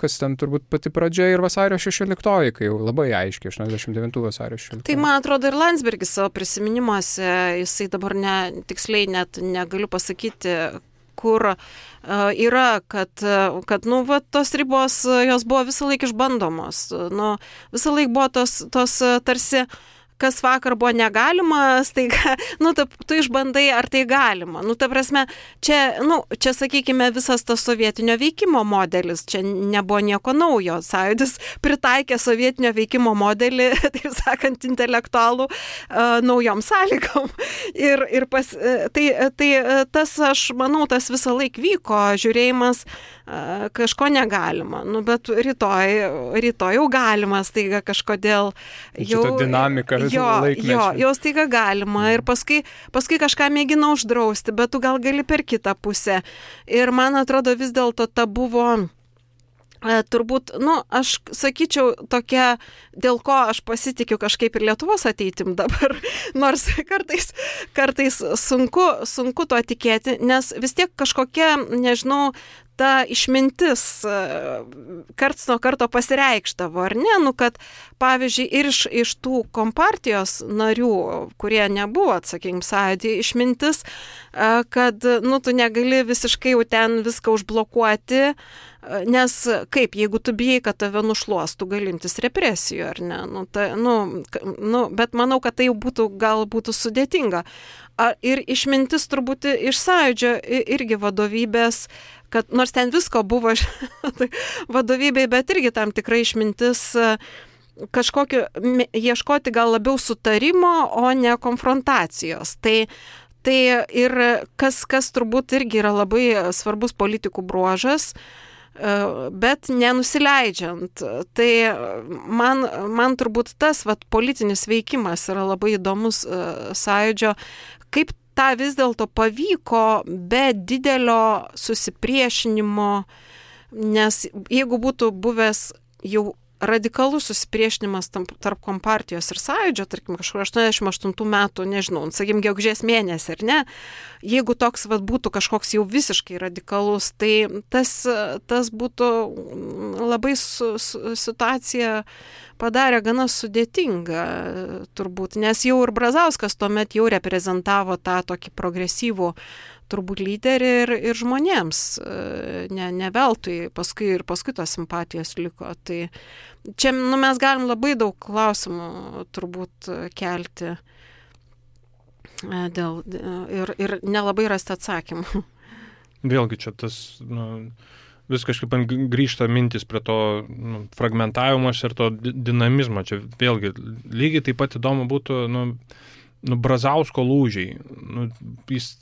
S1: kas ten turbūt pati pradžia ir vasario šešioliktoji, kai jau labai aiškiai, aštuoniasdešimt devintų vasario šešioliktoji. Tai
S2: man atrodo ir Landsbergis savo prisiminimuose, jisai dabar ne, tiksliai net negaliu pasakyti, kur uh, yra, kad, kad nu, va, tos ribos, jos buvo visą laiką išbandomos. Nu, visą laiką buvo tos, tos tarsi, kas vakar buvo negalima, staiga, nu, ta, tu išbandai, ar tai galima. Nu, ta prasme, čia, nu, čia, sakykime, visas tas sovietinio veikimo modelis, čia nebuvo nieko naujo. Sąjūdis pritaikė sovietinio veikimo modelį, taip sakant, intelektualų uh, naujom sąlygom. Ir, ir pas, tai, tai tas, aš manau, tas visą laik vyko, žiūrėjimas, uh, kažko negalima. Nu, bet rytoj, rytoj jau galima, staiga kažkodėl jau...
S1: Šitą dinamiką.
S2: Jo, jo, jau staiga galima ir paskui, paskui kažką mėgina uždrausti, bet tu gal gali per kitą pusę. Ir man atrodo vis dėlto ta buvo... Turbūt, nu, aš sakyčiau tokia, dėl ko aš pasitikiu kažkaip ir Lietuvos ateitim dabar, nors kartais, kartais sunku, sunku to tikėti, nes vis tiek kažkokia, nežinau, ta išmintis karts nuo karto pasireikštavo, ar ne? Nu, kad, pavyzdžiui, ir iš, iš tų kompartijos narių, kurie nebuvo, sakykim, Sąjūdy, išmintis, kad, nu, tu negali visiškai jau ten viską užblokuoti, nes kaip, jeigu tu bijai, kad tave nušluos, tu gali imtis represijų, ar ne? Nu, ta, nu, nu, bet manau, kad tai jau būtų, gal būtų sudėtinga. Ir išmintis turbūt iš Sąjūdžio irgi vadovybės, kad nors ten visko buvo vadovybei, bet irgi tam tikrai išmintis kažkokio ieškoti gal labiau sutarimo, o ne konfrontacijos. Tai, tai ir kas, kas turbūt irgi yra labai svarbus politikų bruožas, bet nenusileidžiant. Tai man, man turbūt tas vat, politinis veikimas yra labai įdomus Sąjūdžio, kaip tą vis dėlto pavyko be didelio susipriešinimo, nes jeigu būtų buvęs jau radikalus susipriešinimas tarp kompartijos ir Sąjūdžio, tarkim, kažkur aštuoniasdešimt aštuntų metų, nežinau, sakykim, gegužės mėnesį, ar ne, jeigu toks vat, būtų kažkoks jau visiškai radikalus, tai tas, tas būtų labai su, su, situacija padarė gana sudėtingą, turbūt, nes jau ir Brazauskas tuomet jau reprezentavo tą tokį progresyvų turbūt lyderį ir, ir žmonėms, ne, ne veltui, paskui ir paskui tos simpatijos liko. Tai čia nu, mes galim labai daug klausimų turbūt kelti dėl, ir, ir nelabai rasti atsakymų.
S3: Vėlgi čia tas, nu, vis kažkaip grįžta mintis prie to nu, fragmentavimas ir to dinamizmo. Čia vėlgi lygiai taip pat įdomu būtų nu, nu, Brazausko lūžiai. Nu, jis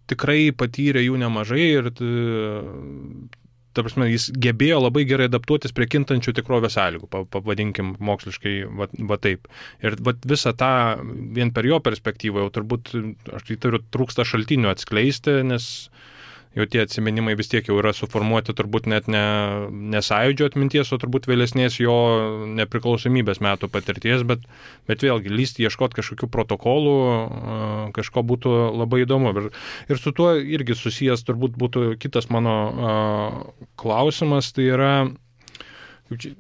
S3: tikrai patyrė jų nemažai ir ta prasme, jis gebėjo labai gerai adaptuotis prie kintančių tikrovės sąlygų, pavadinkim moksliškai va, va taip. Ir va, visą tą vien per jo perspektyvą jau turbūt, aš įtariu, trūksta šaltinių atskleisti, nes jau tie atsiminimai vis tiek jau yra suformuoti turbūt net ne, ne sąjūdžio atminties, o turbūt vėlesnės jo nepriklausomybės metų patirties, bet, bet vėlgi lysti, ieškoti kažkokių protokolų, kažko būtų labai įdomu. Ir, ir su tuo irgi susijęs turbūt būtų kitas mano uh, klausimas, tai yra kaip čia,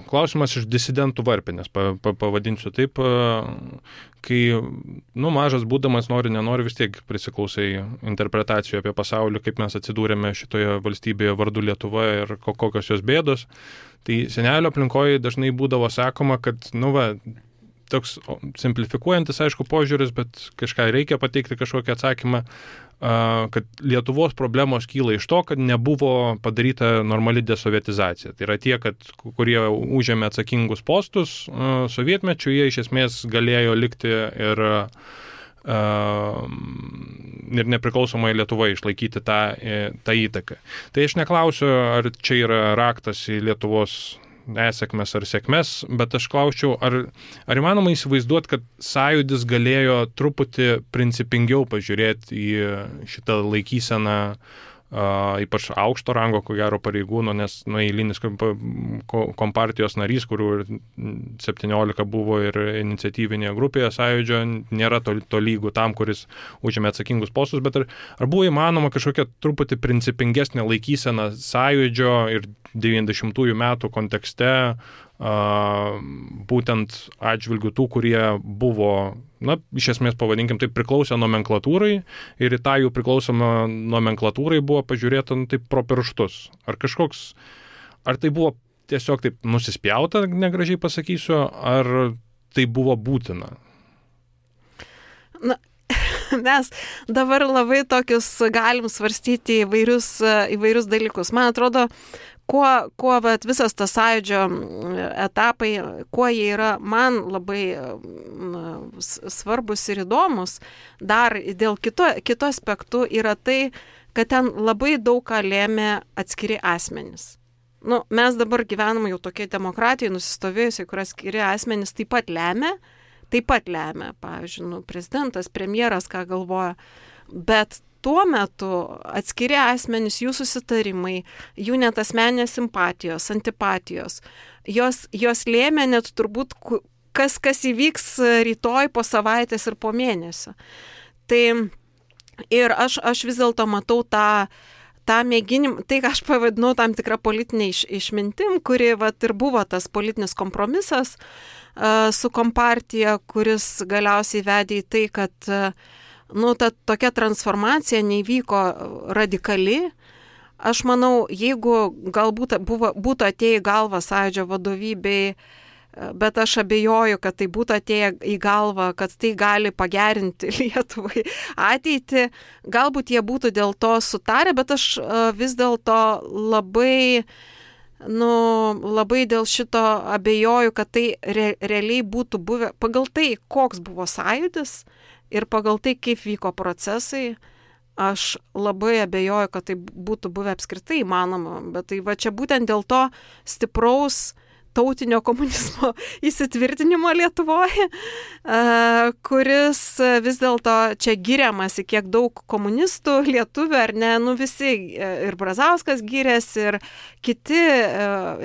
S3: klausimas iš disidentų varpinės, pa, pa, pavadinsiu taip, kai, nu, mažas būdamas nori, nenori, vis tiek prisiklausai interpretacijų apie pasaulį, kaip mes atsidūrėme šitoje valstybėje vardu Lietuva ir kokios jos bėdos. Tai senelio aplinkoje dažnai būdavo sakoma, kad, nu, va, toks simplifikuojantis, aišku, požiūris, bet kažką reikia pateikti, kažkokį atsakymą, kad Lietuvos problemos kyla iš to, kad nebuvo padaryta normali desovietizacija. Tai yra tie, kad, kurie užėmė atsakingus postus sovietmečiu, jie iš esmės galėjo likti ir, ir nepriklausomai Lietuvai išlaikyti tą, tą įtaką. Tai aš neklausiu, ar čia yra raktas į Lietuvos nesėkmės ar sėkmės, bet aš klausčiau, ar, ar įmanoma įsivaizduoti, kad sąjūdis galėjo truputį principingiau pažiūrėti į šitą laikyseną, uh, ypač aukšto rango, ko gero pareigūno, nes nu, eilinis kompartijos narys, kurių septyniolika buvo ir iniciatyvinėje grupėje sąjūdžio, nėra to, to lygų tam, kuris užėmė atsakingus postus, bet ar, ar buvo įmanoma kažkokia truputį principingesnė laikysena sąjūdžio ir devyniasdešimtųjų metų kontekste, uh, būtent atžvilgių tų, kurie buvo, na, iš esmės pavadinkim, taip priklausė nomenklatūrai ir į tą jų priklausomą nomenklatūrai buvo pažiūrėta, nu, taip pro pirštus. Ar kažkoks, ar tai buvo tiesiog taip nusispjauta, negražiai pasakysiu, ar tai buvo būtina?
S2: Na, mes dabar labai tokius galim svarstyti įvairius, įvairius dalykus. Man atrodo, kuo, kuo vat, visas tas sąjūdžio etapai, kuo jie yra man labai na, svarbus ir įdomus, dar dėl kito, kito aspektų yra tai, kad ten labai daug ką lėmė atskiri asmenys. Nu, mes dabar gyvename jau tokiai demokratijai nusistovėjusiai, kur atskiri asmenys taip pat lemia, taip pat lemia, pavyzdžiui, nu, prezidentas, premjeras, ką galvoja, bet tuo metu atskiri asmenys, jų susitarimai, jų net asmeninės simpatijos, antipatijos, jos, jos lėmė net turbūt, kas, kas įvyks rytoj, po savaitės ir po mėnesio. Tai ir aš, aš vis dėlto matau tą, tą mėginimą, tai ką aš pavadinau tam tikrą politinę iš, išmintim, kuri vat, ir buvo tas politinis kompromisas uh, su kompartija, kuris galiausiai vedė į tai, kad uh, nu, ta tokia transformacija neįvyko radikali. Aš manau, jeigu galbūt buvo, būtų atėję į galvą sąjūdžio vadovybei, bet aš abejoju, kad tai būtų atėję į galvą, kad tai gali pagerinti Lietuvai ateitį. Galbūt jie būtų dėl to sutarę, bet aš vis dėlto labai, nu, labai dėl šito abejoju, kad tai re, realiai būtų buvę pagal tai, koks buvo sąjūdis, ir pagal tai, kaip vyko procesai, aš labai abejoju, kad tai būtų buvę apskritai įmanoma. Bet tai va čia būtent dėl to stipraus tautinio komunizmo įsitvirtinimo Lietuvoje, kuris vis dėlto čia giriamasi, kiek daug komunistų lietuvių, ar ne, nu visi, ir Brazauskas gyrėsi, ir kiti,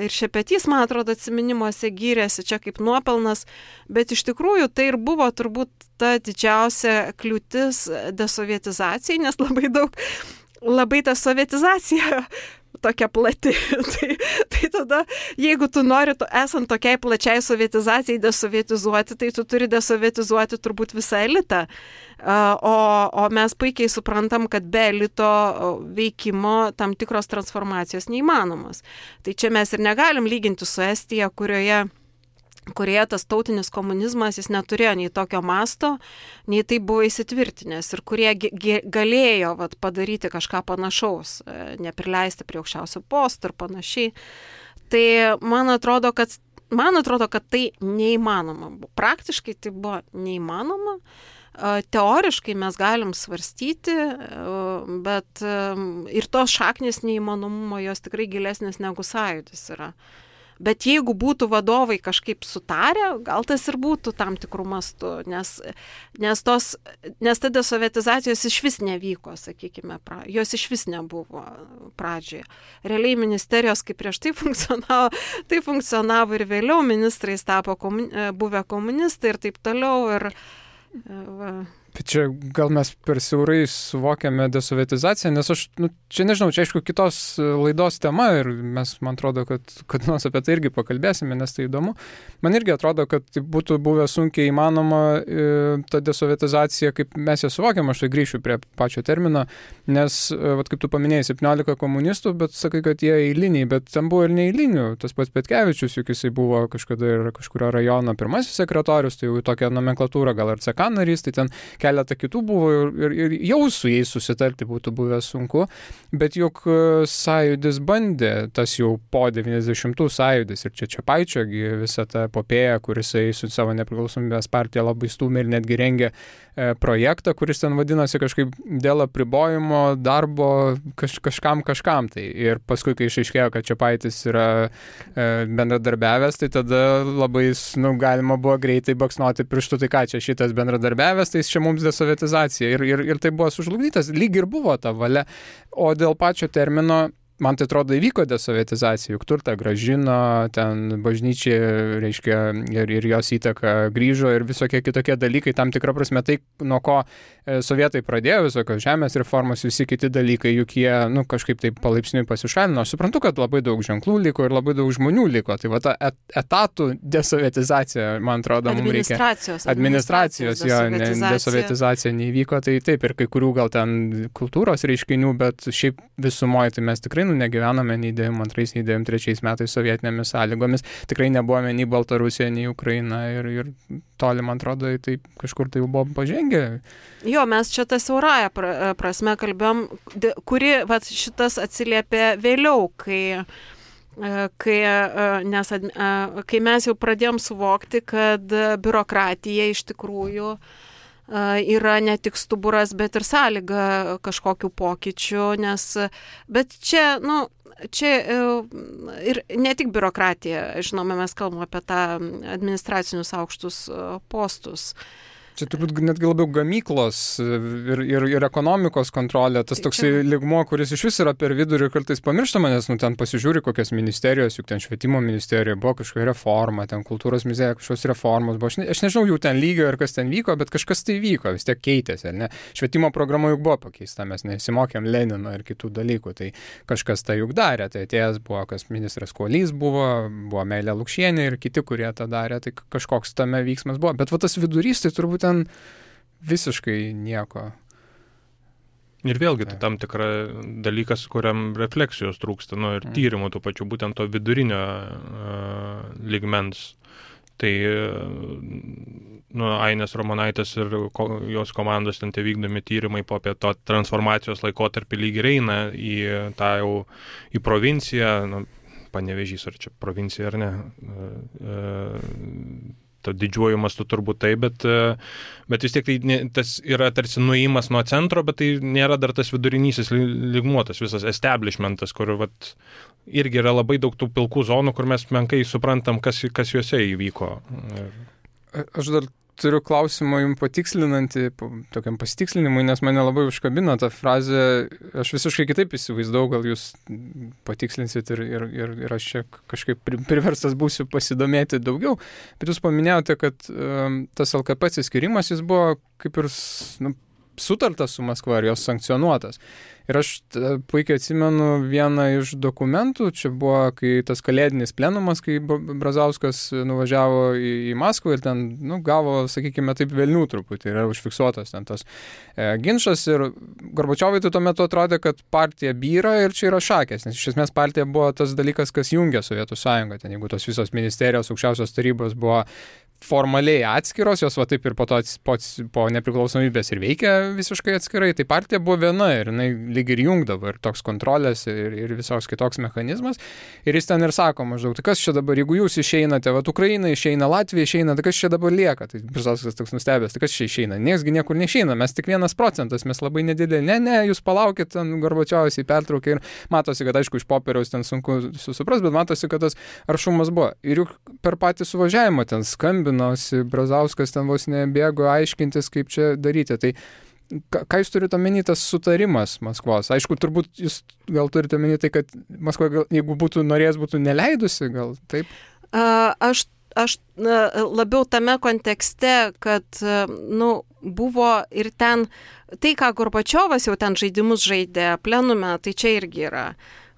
S2: ir Šepetys, man atrodo, atsiminimuose gyrėsi čia kaip nuopelnas, bet iš tikrųjų tai ir buvo turbūt ta didžiausia kliūtis desovietizacijai, nes labai daug, labai ta sovietizacija tokia plati. tai, tai tada, jeigu tu nori, tu, esant tokiai plačiai sovietizacijai desovietizuoti, tai tu turi desovietizuoti turbūt visą elitą. O, o mes puikiai suprantam, kad be elito veikimo tam tikros transformacijos neįmanomos. Tai čia mes ir negalim lyginti su Estija, kurioje kurioje tas tautinis komunizmas, jis neturėjo nei tokio masto, nei tai buvo įsitvirtinęs ir kurie ge- ge- galėjo vat, padaryti kažką panašaus, neprileisti prie aukščiausių postų ir panašiai. Tai man atrodo, kad, man atrodo, kad tai neįmanoma. Praktiškai tai buvo neįmanoma. Teoriškai mes galim svarstyti, bet ir tos šaknys neįmanomumo jos tikrai gilesnės negu sąjūdis yra. Bet jeigu būtų vadovai kažkaip sutarę, gal tas ir būtų tam tikrų mastų, nes, nes, tos, nes ta desovietizacijos iš vis nevyko, sakykime, pra, jos iš vis nebuvo pradžioje. Realiai ministerijos, kaip prieš tai funkcionavo, tai funkcionavo ir vėliau, ministrais tapo komun, buvę komunistai ir taip toliau. Ir, va.
S1: Bet čia gal mes per siaurai suvokiame desovietizaciją, nes aš, nu, čia nežinau, čia aišku kitos laidos tema ir mes, man atrodo, kad, kad nors apie tai irgi pakalbėsime, nes tai įdomu. Man irgi atrodo, kad tai būtų buvę sunkiai įmanoma e, ta desovietizacija, kaip mes ją suvokiam, aš tai grįšiu prie pačio termino, nes, e, vat, kaip tu paminėjai, septyniolika komunistų, bet sakai, kad jie eiliniai, bet ten buvo ir neeilinių. Tas pats Petkevičius, juk jisai buvo kažkada ir kažkurio rajono pirmasis sekretorius, tai jau tokia nomenklatūra, gal ir C K narys, tai ten keletą kitų buvo ir, ir jau su jais susitarti būtų buvę sunku, bet juk sąjūdis bandė, tas jau po devyniasdešimtų sąjūdis ir čia Čepaičio visą tą epopėją, kuris su savo nepriklausomybės partija labai stūmė ir netgi rengė e, projektą, kuris ten vadinasi kažkaip dėl apribojimo darbo kaž, kažkam kažkam. Tai. Ir paskui, kai išaiškėjo, kad Čepaitis yra e, bendradarbiavęs, tai tada labai nu, galima buvo greitai baksnuoti pirštų, tai ką čia šitas bendradarbiavęs, tai čia mums desovietizacija ir, ir, ir tai buvo sužlugdytas, lyg ir buvo ta valia, o dėl pačio termino man tai atrodo įvyko desovietizacija, juk turtą gražino, ten bažnyčiai, reiškia, ir, ir jos įtaka grįžo ir visokie kitokie dalykai, tam tikra prasme tai, nuo ko e, sovietai pradėjo, visokios žemės reformos, visi kiti dalykai, juk jie, nu, kažkaip taip palaipsniui pasišalino. Aš suprantu, kad labai daug ženklų liko ir labai daug žmonių liko, tai va ta et, etatų desovietizacija, man atrodo, mums reikia.
S2: Administracijos.
S1: Administracijos, jo, ne, desovietizacija neįvyko, tai taip, ir kai kurių gal ten kultūros reiškinių, bet šiaip visumoje tai mes tikrai nu, negyvename nei devyniasdešimt antrais, nei devyniasdešimt trečiais metais sovietinėmis sąlygomis. Tikrai nebuvome nei Baltarusija, nei Ukraina ir, ir toli, man atrodo, tai kažkur tai jau buvom pažengę.
S2: Jo, mes čia tą siaurąją prasme kalbėjom, kuri vat, šitas atsiliepė vėliau, kai, kai, nes, kai mes jau pradėjom suvokti, kad biurokratija iš tikrųjų yra ne tik stuburas, bet ir sąlyga kažkokių pokyčių, nes, bet čia, nu, čia ir ne tik biurokratija, žinoma, mes kalbame apie tą administracinius aukštus postus.
S1: Čia turbūt netgi labiau gamyklos ir, ir, ir ekonomikos kontrolė, tas tai toksai čia lygmuo, kuris iš vis yra per vidurį kartais pamirštama, nes nu, ten pasižiūri kokios ministerijos, juk ten švietimo ministerija buvo kažkokia reforma, ten kultūros ministerija kažkokios reformos buvo. Aš, ne, aš nežinau jų ten lygio ir kas ten vyko, bet kažkas tai vyko, vis tiek keitėsi, ne? Švietimo programa juk buvo pakeista, mes nesimokėm Lenino ir kitų dalykų, tai kažkas tai juk darė, tai atėjęs buvo, kas ministras Kuolys buvo, buvo Meilė Lukšienė ir kiti, kurie tą darė, tai kažkoks tame vyksmas buvo, bet va tas vidurys, tai turbūt ten visiškai nieko.
S3: Ir vėlgi tai tam tikra dalykas, kuriam refleksijos trūksta, nu, ir tyrimų tų pačių, būtent to vidurinio uh, lygmens. Tai nu, Ainės Ramonaitės ir ko, jos komandos ten tie vykdomi tyrimai po apie to transformacijos laikotarpį lyg ir eina į tą jau į provinciją, nu, Panevėžys ar čia provincija ar ne, uh, uh, to didžiuoju mastu turbūt tai, bet, bet vis tiek tai ne, tas yra tarsi nuėjimas nuo centro, bet tai nėra dar tas vidurinysis lygmuo, tas visas establishmentas, kur vat, irgi yra labai daug tų pilkų zonų, kur mes menkai suprantam, kas, kas juose įvyko.
S1: Aš dar turiu klausimą jums patikslinantį, tokiam pasitikslinimui, nes mane labai užkabino tą frazę, aš visiškai kitaip įsivaizdau, gal jūs patikslinsit ir, ir, ir, ir aš čia kažkaip priverstas būsiu pasidomėti daugiau, bet jūs paminėjote, kad um, tas L K P atsiskirimas, jis buvo kaip ir nu, sutartas su Maskva ir jos sankcionuotas. Ir aš puikiai atsimenu vieną iš dokumentų, čia buvo kai tas kalėdinis plenumas, kai Brazauskas nuvažiavo į, į Maskvą ir ten nu, gavo, sakykime, taip velnių truputį, yra užfiksuotas ten tas e, ginčas ir Gorbačiovui tai tuo metu atrodė, kad partija byra ir čia yra šakės, nes iš esmės partija buvo tas dalykas, kas jungia Sovietų sąjungą, ten jeigu tos visos ministerijos, aukščiausios tarybos buvo formaliai atskiros, jos va taip ir po to pats, po nepriklausomybės ir veikia visiškai atskirai, tai partija buvo viena ir jinai lyg ir jungdavo ir toks kontrolės ir, ir visos kitoks mechanizmas. Ir jis ten ir sako maždaug, tai kas čia dabar, jeigu jūs išeinate, va Ukraina išeina, Latvija išeina, tai kas čia dabar lieka? Tai Brazauskas toks nustebęs, tai kas čia išeina? Niesgi niekur neišeina, mes tik vienas procentas, mes labai nedidelė. Ne, ne, jūs palaukit, ten Gorbačiovas į pertrauką ir matosi, kad aišku iš popieriaus ten sunku susupras, bet matosi, kad tas aršumas buvo. Ir juk per patį suvažiavimą ten skambinosi, Brazauskas ten vos nebėgo aiškintis, kaip čia daryti. Tai ką jūs turite omeny tas sutarimas Maskvos? Aišku, turbūt jūs gal turite omeny tai, kad Maskva, gal, jeigu būtų norėjęs, būtų neleidusi, gal taip?
S2: A, aš Aš labiau tame kontekste, kad nu, buvo ir ten, tai ką Gorbačiovas jau ten žaidimus žaidė plenume, tai čia irgi yra.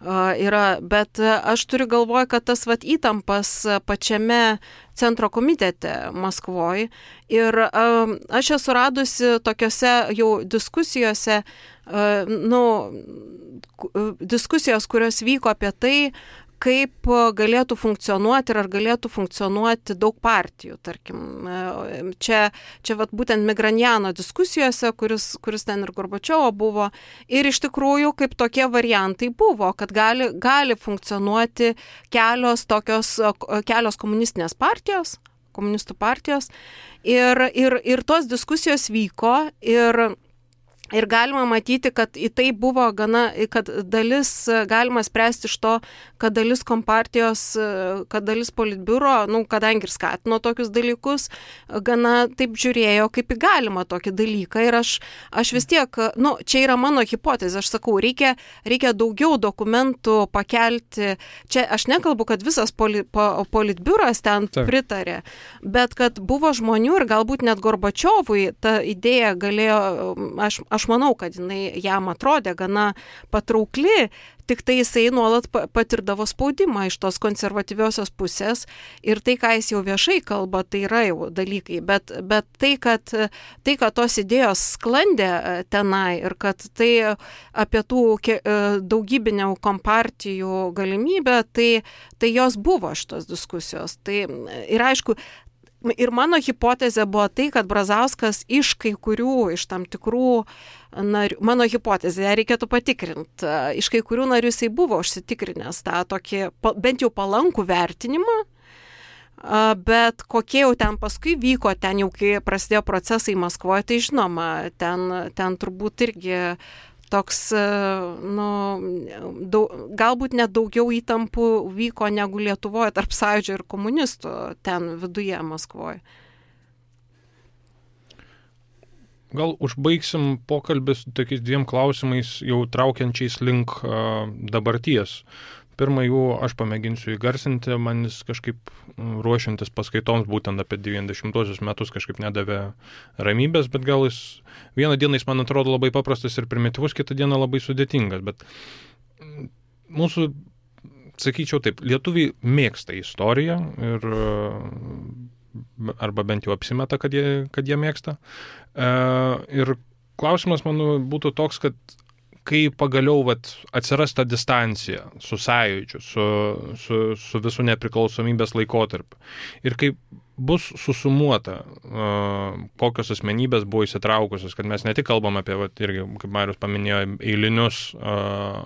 S2: yra. Bet aš turiu galvoje, kad tas vat, įtampas pačiame centro komitete Maskvoje ir aš esu radusi tokiose jau diskusijose, nu, diskusijos, kurios vyko apie tai, kaip galėtų funkcionuoti ir ar galėtų funkcionuoti daug partijų, tarkim. Čia, čia vat, būtent Migranjano diskusijose, kuris, kuris ten ir Gorbačiovo buvo, ir iš tikrųjų kaip tokie variantai buvo, kad gali, gali funkcionuoti kelios, tokios, kelios komunistinės partijos, komunistų partijos, ir, ir, ir tos diskusijos vyko ir Ir galima matyti, kad į tai buvo gana, kad dalis, galima spręsti iš to, kad dalis kompartijos, kad dalis politbiuro, nu, kadangi ir skatino tokius dalykus, gana taip žiūrėjo, kaip į galima tokį dalyką. Ir aš, aš vis tiek, nu, čia yra mano hipotezė, aš sakau, reikia, reikia daugiau dokumentų pakelti. Čia aš nekalbu, kad visas poli, po, politbiuras ten Taip. pritarė, bet kad buvo žmonių ir galbūt net Gorbačiovui ta idėja galėjo, aš Aš manau, kad jinai jam atrodė gana patraukli, tik tai jisai nuolat patirdavo spaudimą iš tos konservatyviosios pusės ir tai, ką jis jau viešai kalba, tai yra jau dalykai, bet, bet tai, kad, tai, kad tos idėjos sklandė tenai ir kad tai apie tų daugybinių kompartijų galimybę, tai, tai jos buvo šitos diskusijos. Tai, ir aišku, Ir mano hipotezė buvo tai, kad Brazauskas iš kai kurių, iš tam tikrų narių, mano hipotezė, ją reikėtų patikrinti, iš kai kurių narių jisai buvo užsitikrinęs tą tokį, bent jau palankų vertinimą, bet kokie jau ten paskui vyko, ten jau kai prasidėjo procesai Maskvoje, tai žinoma, ten, ten turbūt irgi toks, nu, daug, galbūt net daugiau įtampų vyko negu Lietuvoje tarp sąjūdžio ir komunistų ten viduje Maskvoje.
S3: Gal užbaigsim pokalbį su tokiais dviem klausimais, jau traukiančiais link uh, dabarties. Pirmą jų aš pamėginsiu įgarsinti, man jis kažkaip ruošiantis paskaitoms būtent apie devyniasdešimtuosius metus kažkaip nedavė ramybės, bet gal jis vieną dieną jis man atrodo labai paprastas ir primityvus, kitą dieną labai sudėtingas, bet mūsų, sakyčiau taip, lietuviai mėgsta istoriją ir arba bent jau apsimeta, kad jie, kad jie mėgsta. Ir klausimas, manau, būtų toks, kad kai pagaliau vat, atsiras ta distancija su sąjūdžiu, su, su, su visų nepriklausomybės laikotarpiu ir kai bus susumuota, uh, kokios asmenybės buvo įsitraukusios, kad mes ne tik kalbam apie, vat, irgi, kaip Marius paminėjo, eilinius uh,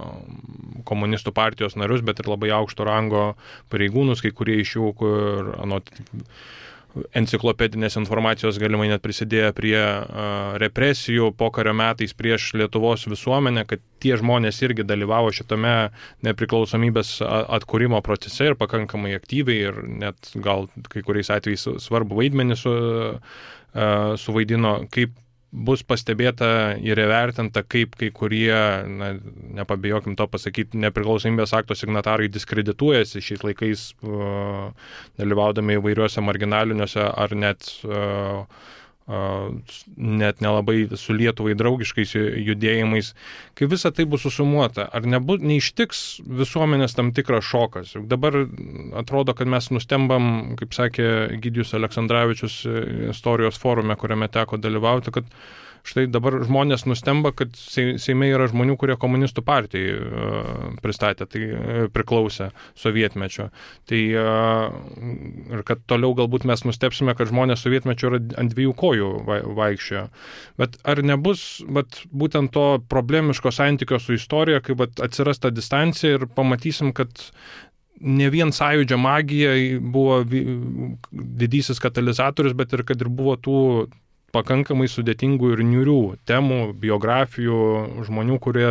S3: komunistų partijos narius, bet ir labai aukšto rango pareigūnus, kai kurie iš jų, kur anot enciklopedinės informacijos galimai net prisidėjo prie uh, represijų pokario metais prieš Lietuvos visuomenę, kad tie žmonės irgi dalyvavo šitame nepriklausomybės atkūrimo procese ir pakankamai aktyviai ir net gal kai kuriais atvejais svarbu vaidmenį su, uh, suvaidino, kaip bus pastebėta ir įvertinta, kaip kai kurie, na, nepabijokim to pasakyti, nepriklausomybės akto signatarai diskredituojasi šiais laikais, uh, dalyvaudami įvairiuose marginaliniuose ar net, uh, uh, net nelabai su Lietuvai draugiškais judėjimais. Kai visa tai bus susumuota, ar nebu, neištiks visuomenės tam tikras šokas? Dabar atrodo, kad mes nustembam, kaip sakė Egidijus Aleksandravičius istorijos forume, kuriame teko dalyvauti, kad štai dabar žmonės nustemba, kad Seime yra žmonių, kurie komunistų partijai pristatė, tai priklausė sovietmečio. Tai ir kad toliau galbūt mes nustepsime, kad žmonės sovietmečio yra ant dviejų kojų vaikščiojo. Bet ar nebus bet, būtent to problemiško santykio su istorija, kai bet, atsiras ta distancija ir pamatysim, kad ne vien sąjūdžio magija buvo didysis katalizatorius, bet ir kad ir buvo tų pakankamai sudėtingų ir niūrių temų, biografijų, žmonių, kurie,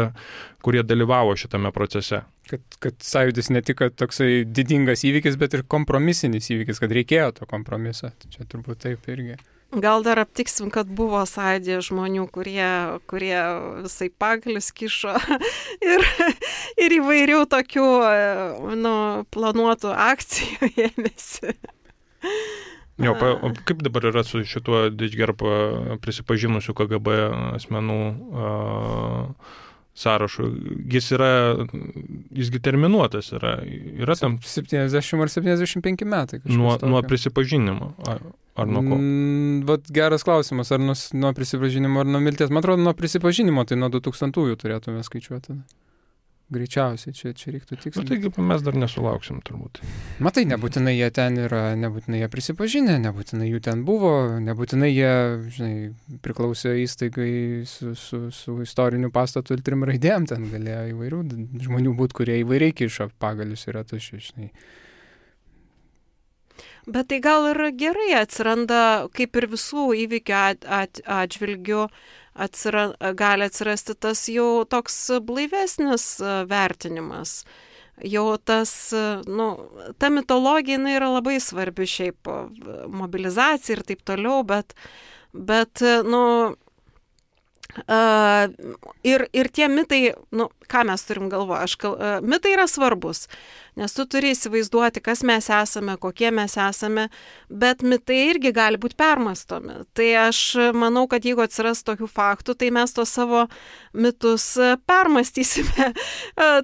S3: kurie dalyvavo šitame procese.
S1: Kad, kad sąjūdis ne tik toksai didingas įvykis, bet ir kompromisinis įvykis, kad reikėjo to kompromiso. Čia turbūt taip irgi.
S2: Gal dar aptiksim, kad buvo sąjūdėje žmonių, kurie, kurie visai pagalius kišo ir, ir įvairių tokių nu, planuotų akcijų ėmėsi.
S3: Jo, pa, kaip dabar yra su šituo Didžgerpa prisipažinusių K G B asmenų a, sąrašu? Jis yra, jisgi terminuotas yra. Yra tam
S1: septyniasdešimt ar septyniasdešimt penki metai.
S3: Nuo, nuo prisipažinimo. Ar, ar nuo ko?
S1: Mm, vat geras klausimas, ar nuo, nuo prisipažinimo, ar nuo mirties. Man atrodo, nuo prisipažinimo, tai nuo du tūkstantųjų turėtume skaičiuoti. Greičiausiai, čia, čia reiktų tikslinti.
S3: Na, taigi mes dar nesulauksim turbūt.
S1: Matai, nebūtinai jie ten yra, nebūtinai jie prisipažinę, nebūtinai jų ten buvo, nebūtinai jie, žinai, priklausė įstaigai su, su, su istoriniu pastatu ir trim raidėm, ten galėjo įvairių žmonių būti, kurie įvairiai kišo pagalius ir ratus, žinai.
S2: Bet tai gal ir gerai atsiranda, kaip ir visų įvykių at, at, atžvilgių, atsira, gali atsirasti tas jau toks blaivesnis vertinimas. Jau tas, nu, ta mitologija jinai yra labai svarbi šiaip mobilizacija ir taip toliau, bet, bet nu, uh, ir, ir tie mitai, nu, ką mes turim galvoje, aš kal, uh, mitai yra svarbus. Nes tu turi įsivaizduoti, kas mes esame, kokie mes esame, bet mitai irgi gali būti permastomi. Tai aš manau, kad jeigu atsiras tokių faktų, tai mes to savo mitus permastysime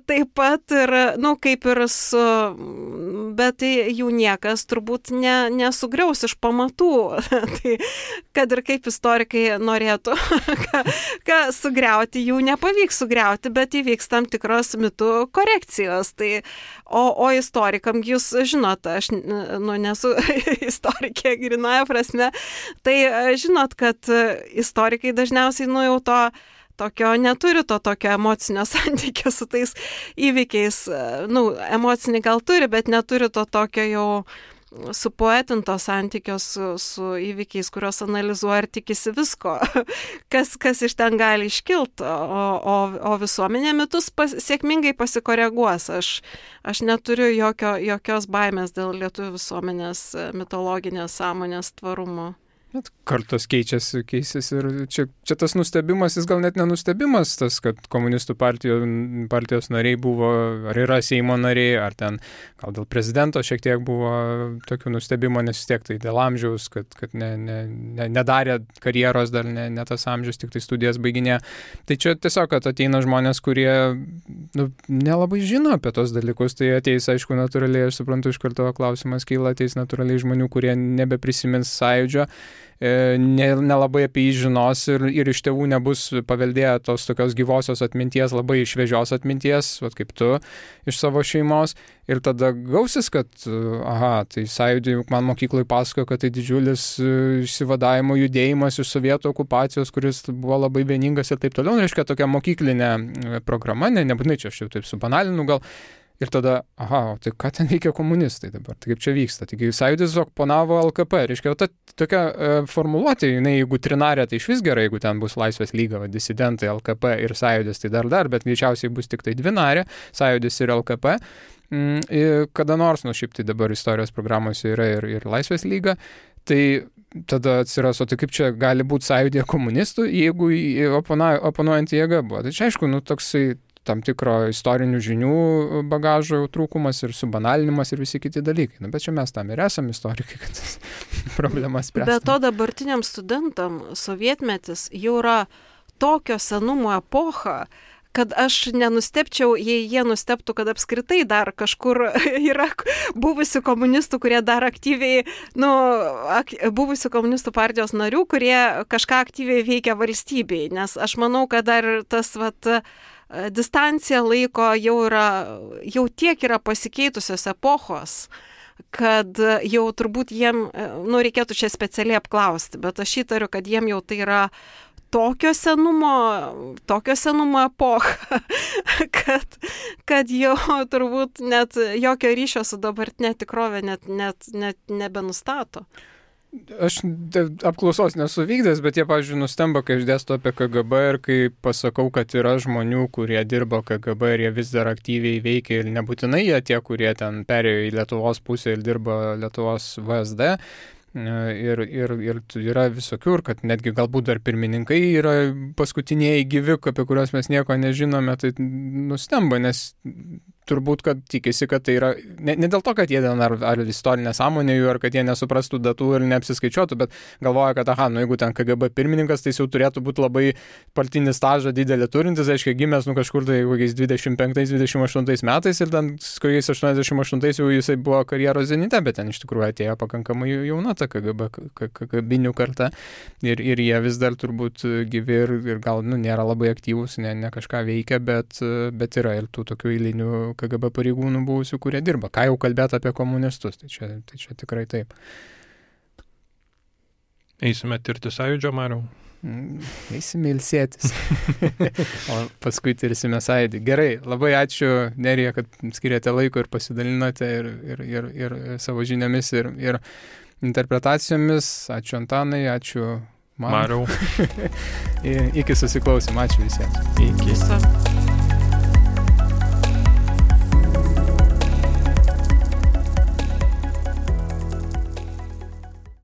S2: taip pat ir, nu, kaip ir su, bet jų niekas turbūt ne, nesugriaus iš pamatų. Tai, kad ir kaip istorikai norėtų ką, ką sugriauti, jų nepavyks sugriauti, bet įvyks tam tikros mitų korekcijos. Tai O, o istorikam, jūs žinot, aš nu, nesu istorikė grinoja prasme, tai žinot, kad istorikai dažniausiai nu jau to tokio neturi, to tokio emocinio santykio su tais įvykiais. Nu, emocinį gal turi, bet neturi to tokio jau supoetinto santykio su, su įvykiais, kurios analizuoja ir tikisi visko, kas, kas iš ten gali iškilti, o, o, o visuomenė mitus pas, sėkmingai pasikoreguos. Aš, aš neturiu jokio, jokios baimės dėl lietuvių visuomenės mitologinės sąmonės tvarumo.
S1: Bet kartos keičiasi, keisis ir čia, čia tas nustebimas, jis gal net nenustebimas, tas, kad komunistų partijos, partijos nariai buvo, ar yra Seimo nariai, ar ten gal dėl prezidento šiek tiek buvo tokių nustebimo, nes vis tiek tai dėl amžiaus, kad, kad ne, ne, ne, nedarė karjeros, dar ne, ne tas amžius, tik tai studijas baiginė. Tai čia tiesiog, kad ateina žmonės, kurie nu, nelabai žino apie tos dalykus, tai ateis, aišku, natūraliai, aš suprantu, iš karto klausimas kyla, ateis natūraliai žmonių, kurie nebeprisimins sąjūdžio, nelabai apie jį žinos ir, ir iš tėvų nebus paveldėję tos tokios gyvosios atminties, labai šviežios atminties, vat kaip tu, iš savo šeimos. Ir tada gausis, kad, aha, tai sąjūdį man mokyklai pasakojo, kad tai didžiulis išsivadavimo judėjimas iš sovietų okupacijos, kuris buvo labai vieningas ir taip toliau. Reiškia, tokia mokyklinė programa, ne, nebūtinai čia aš jau taip subanalinu gal. Ir tada, aha, tai ką ten veikia komunistai dabar, tai kaip čia vyksta. Taigi sąjūdis oponavo L K P, reiškia, ta tokia e, formuluotė, jinai, jeigu trinarė, tai iš vis gerai, jeigu ten bus Laisvės lyga, va, disidentai, L K P ir sąjūdis, tai dar dar, bet greičiausiai bus tik tai dvinarė, sąjūdis ir L K P. Mm, ir kada nors, nu šiaip tai dabar istorijos programose yra ir, ir Laisvės lyga, tai tada atsiras, o tai kaip čia gali būti sąjūdėje komunistų, jeigu opona, oponuojant jėga buvo. Tai čia aišku, nu toksai tam tikro istorinių žinių bagažo trūkumas ir subanalinimas ir visi kiti dalykai. Na, bet čia mes tam ir esame istorikai, kad tas problemas spręsime.
S2: Bet to dabartiniam studentam sovietmetis jau yra tokio senumo epocha, kad aš nenustepčiau, jei jie nusteptų, kad apskritai dar kažkur yra buvusių komunistų, kurie dar aktyviai, nu, ak, buvusių komunistų partijos narių, kurie kažką aktyviai veikia valstybei, nes aš manau, kad dar tas, vat, distancija laiko jau yra, jau tiek yra pasikeitusios epochos, kad jau turbūt jiem, nu, reikėtų čia specialiai apklausti, bet aš įtariu, kad jiem jau tai yra tokio senumo, tokio senumo epocha, kad, kad jau turbūt net jokio ryšio su dabartinė tikrovė net, net, net nebenustato.
S1: Aš apklausos nesu vykdęs, bet jie, pavyzdžiui, nustemba, kai aš dėstu apie K G B ir kai pasakau, kad yra žmonių, kurie dirbo K G B ir jie vis dar aktyviai veikia ir nebūtinai jie tie, kurie ten perėjo į Lietuvos pusę ir dirbo Lietuvos V S D. Ir, ir, ir yra visokių, ir kad netgi galbūt dar pirmininkai yra paskutiniai gyvi, apie kuriuos mes nieko nežinome, tai nustemba, nes turbūt, kad tikisi, kad tai yra, ne, ne dėl to, kad jie ten ar, ar istorinė sąmonė jų, ar kad jie nesuprastų datų ir neapsiskaičiuotų, bet galvoja, kad, aha, nu jeigu ten K G B pirmininkas, tai jau turėtų būti labai partinį stažą didelį turintis, aiškiai, gimęs, nu kažkur tai kokiais dvidešimt penktais dvidešimt aštuntais metais ir ten kokiais aštuoniasdešimt aštuntais jau jisai buvo karjeros zenite, bet ten iš tikrųjų atėjo pakankamai jauna ta K G B kabinių karta ir, ir jie vis dar turbūt gyvi ir, ir gal, nu, nėra labai aktyvūs, ne, ne kažką veikia, bet, bet yra ir tų tokių eilinių K G B pareigūnų buvusių, kurie dirba. Ką jau kalbėti apie komunistus, tai čia, tai čia tikrai taip.
S3: Eisime tirti sąjūdžio, Mariau?
S1: Eisime ilsėtis. O paskui tirsime sąjūdį. Gerai, labai ačiū, Nerija, kad skiriate laiko ir pasidalinote ir, ir, ir, ir savo žiniomis ir, ir interpretacijomis. Ačiū Antanai, ačiū man.
S3: Mariau.
S1: Iki susiklausim. Ačiū visiems.
S3: Iki.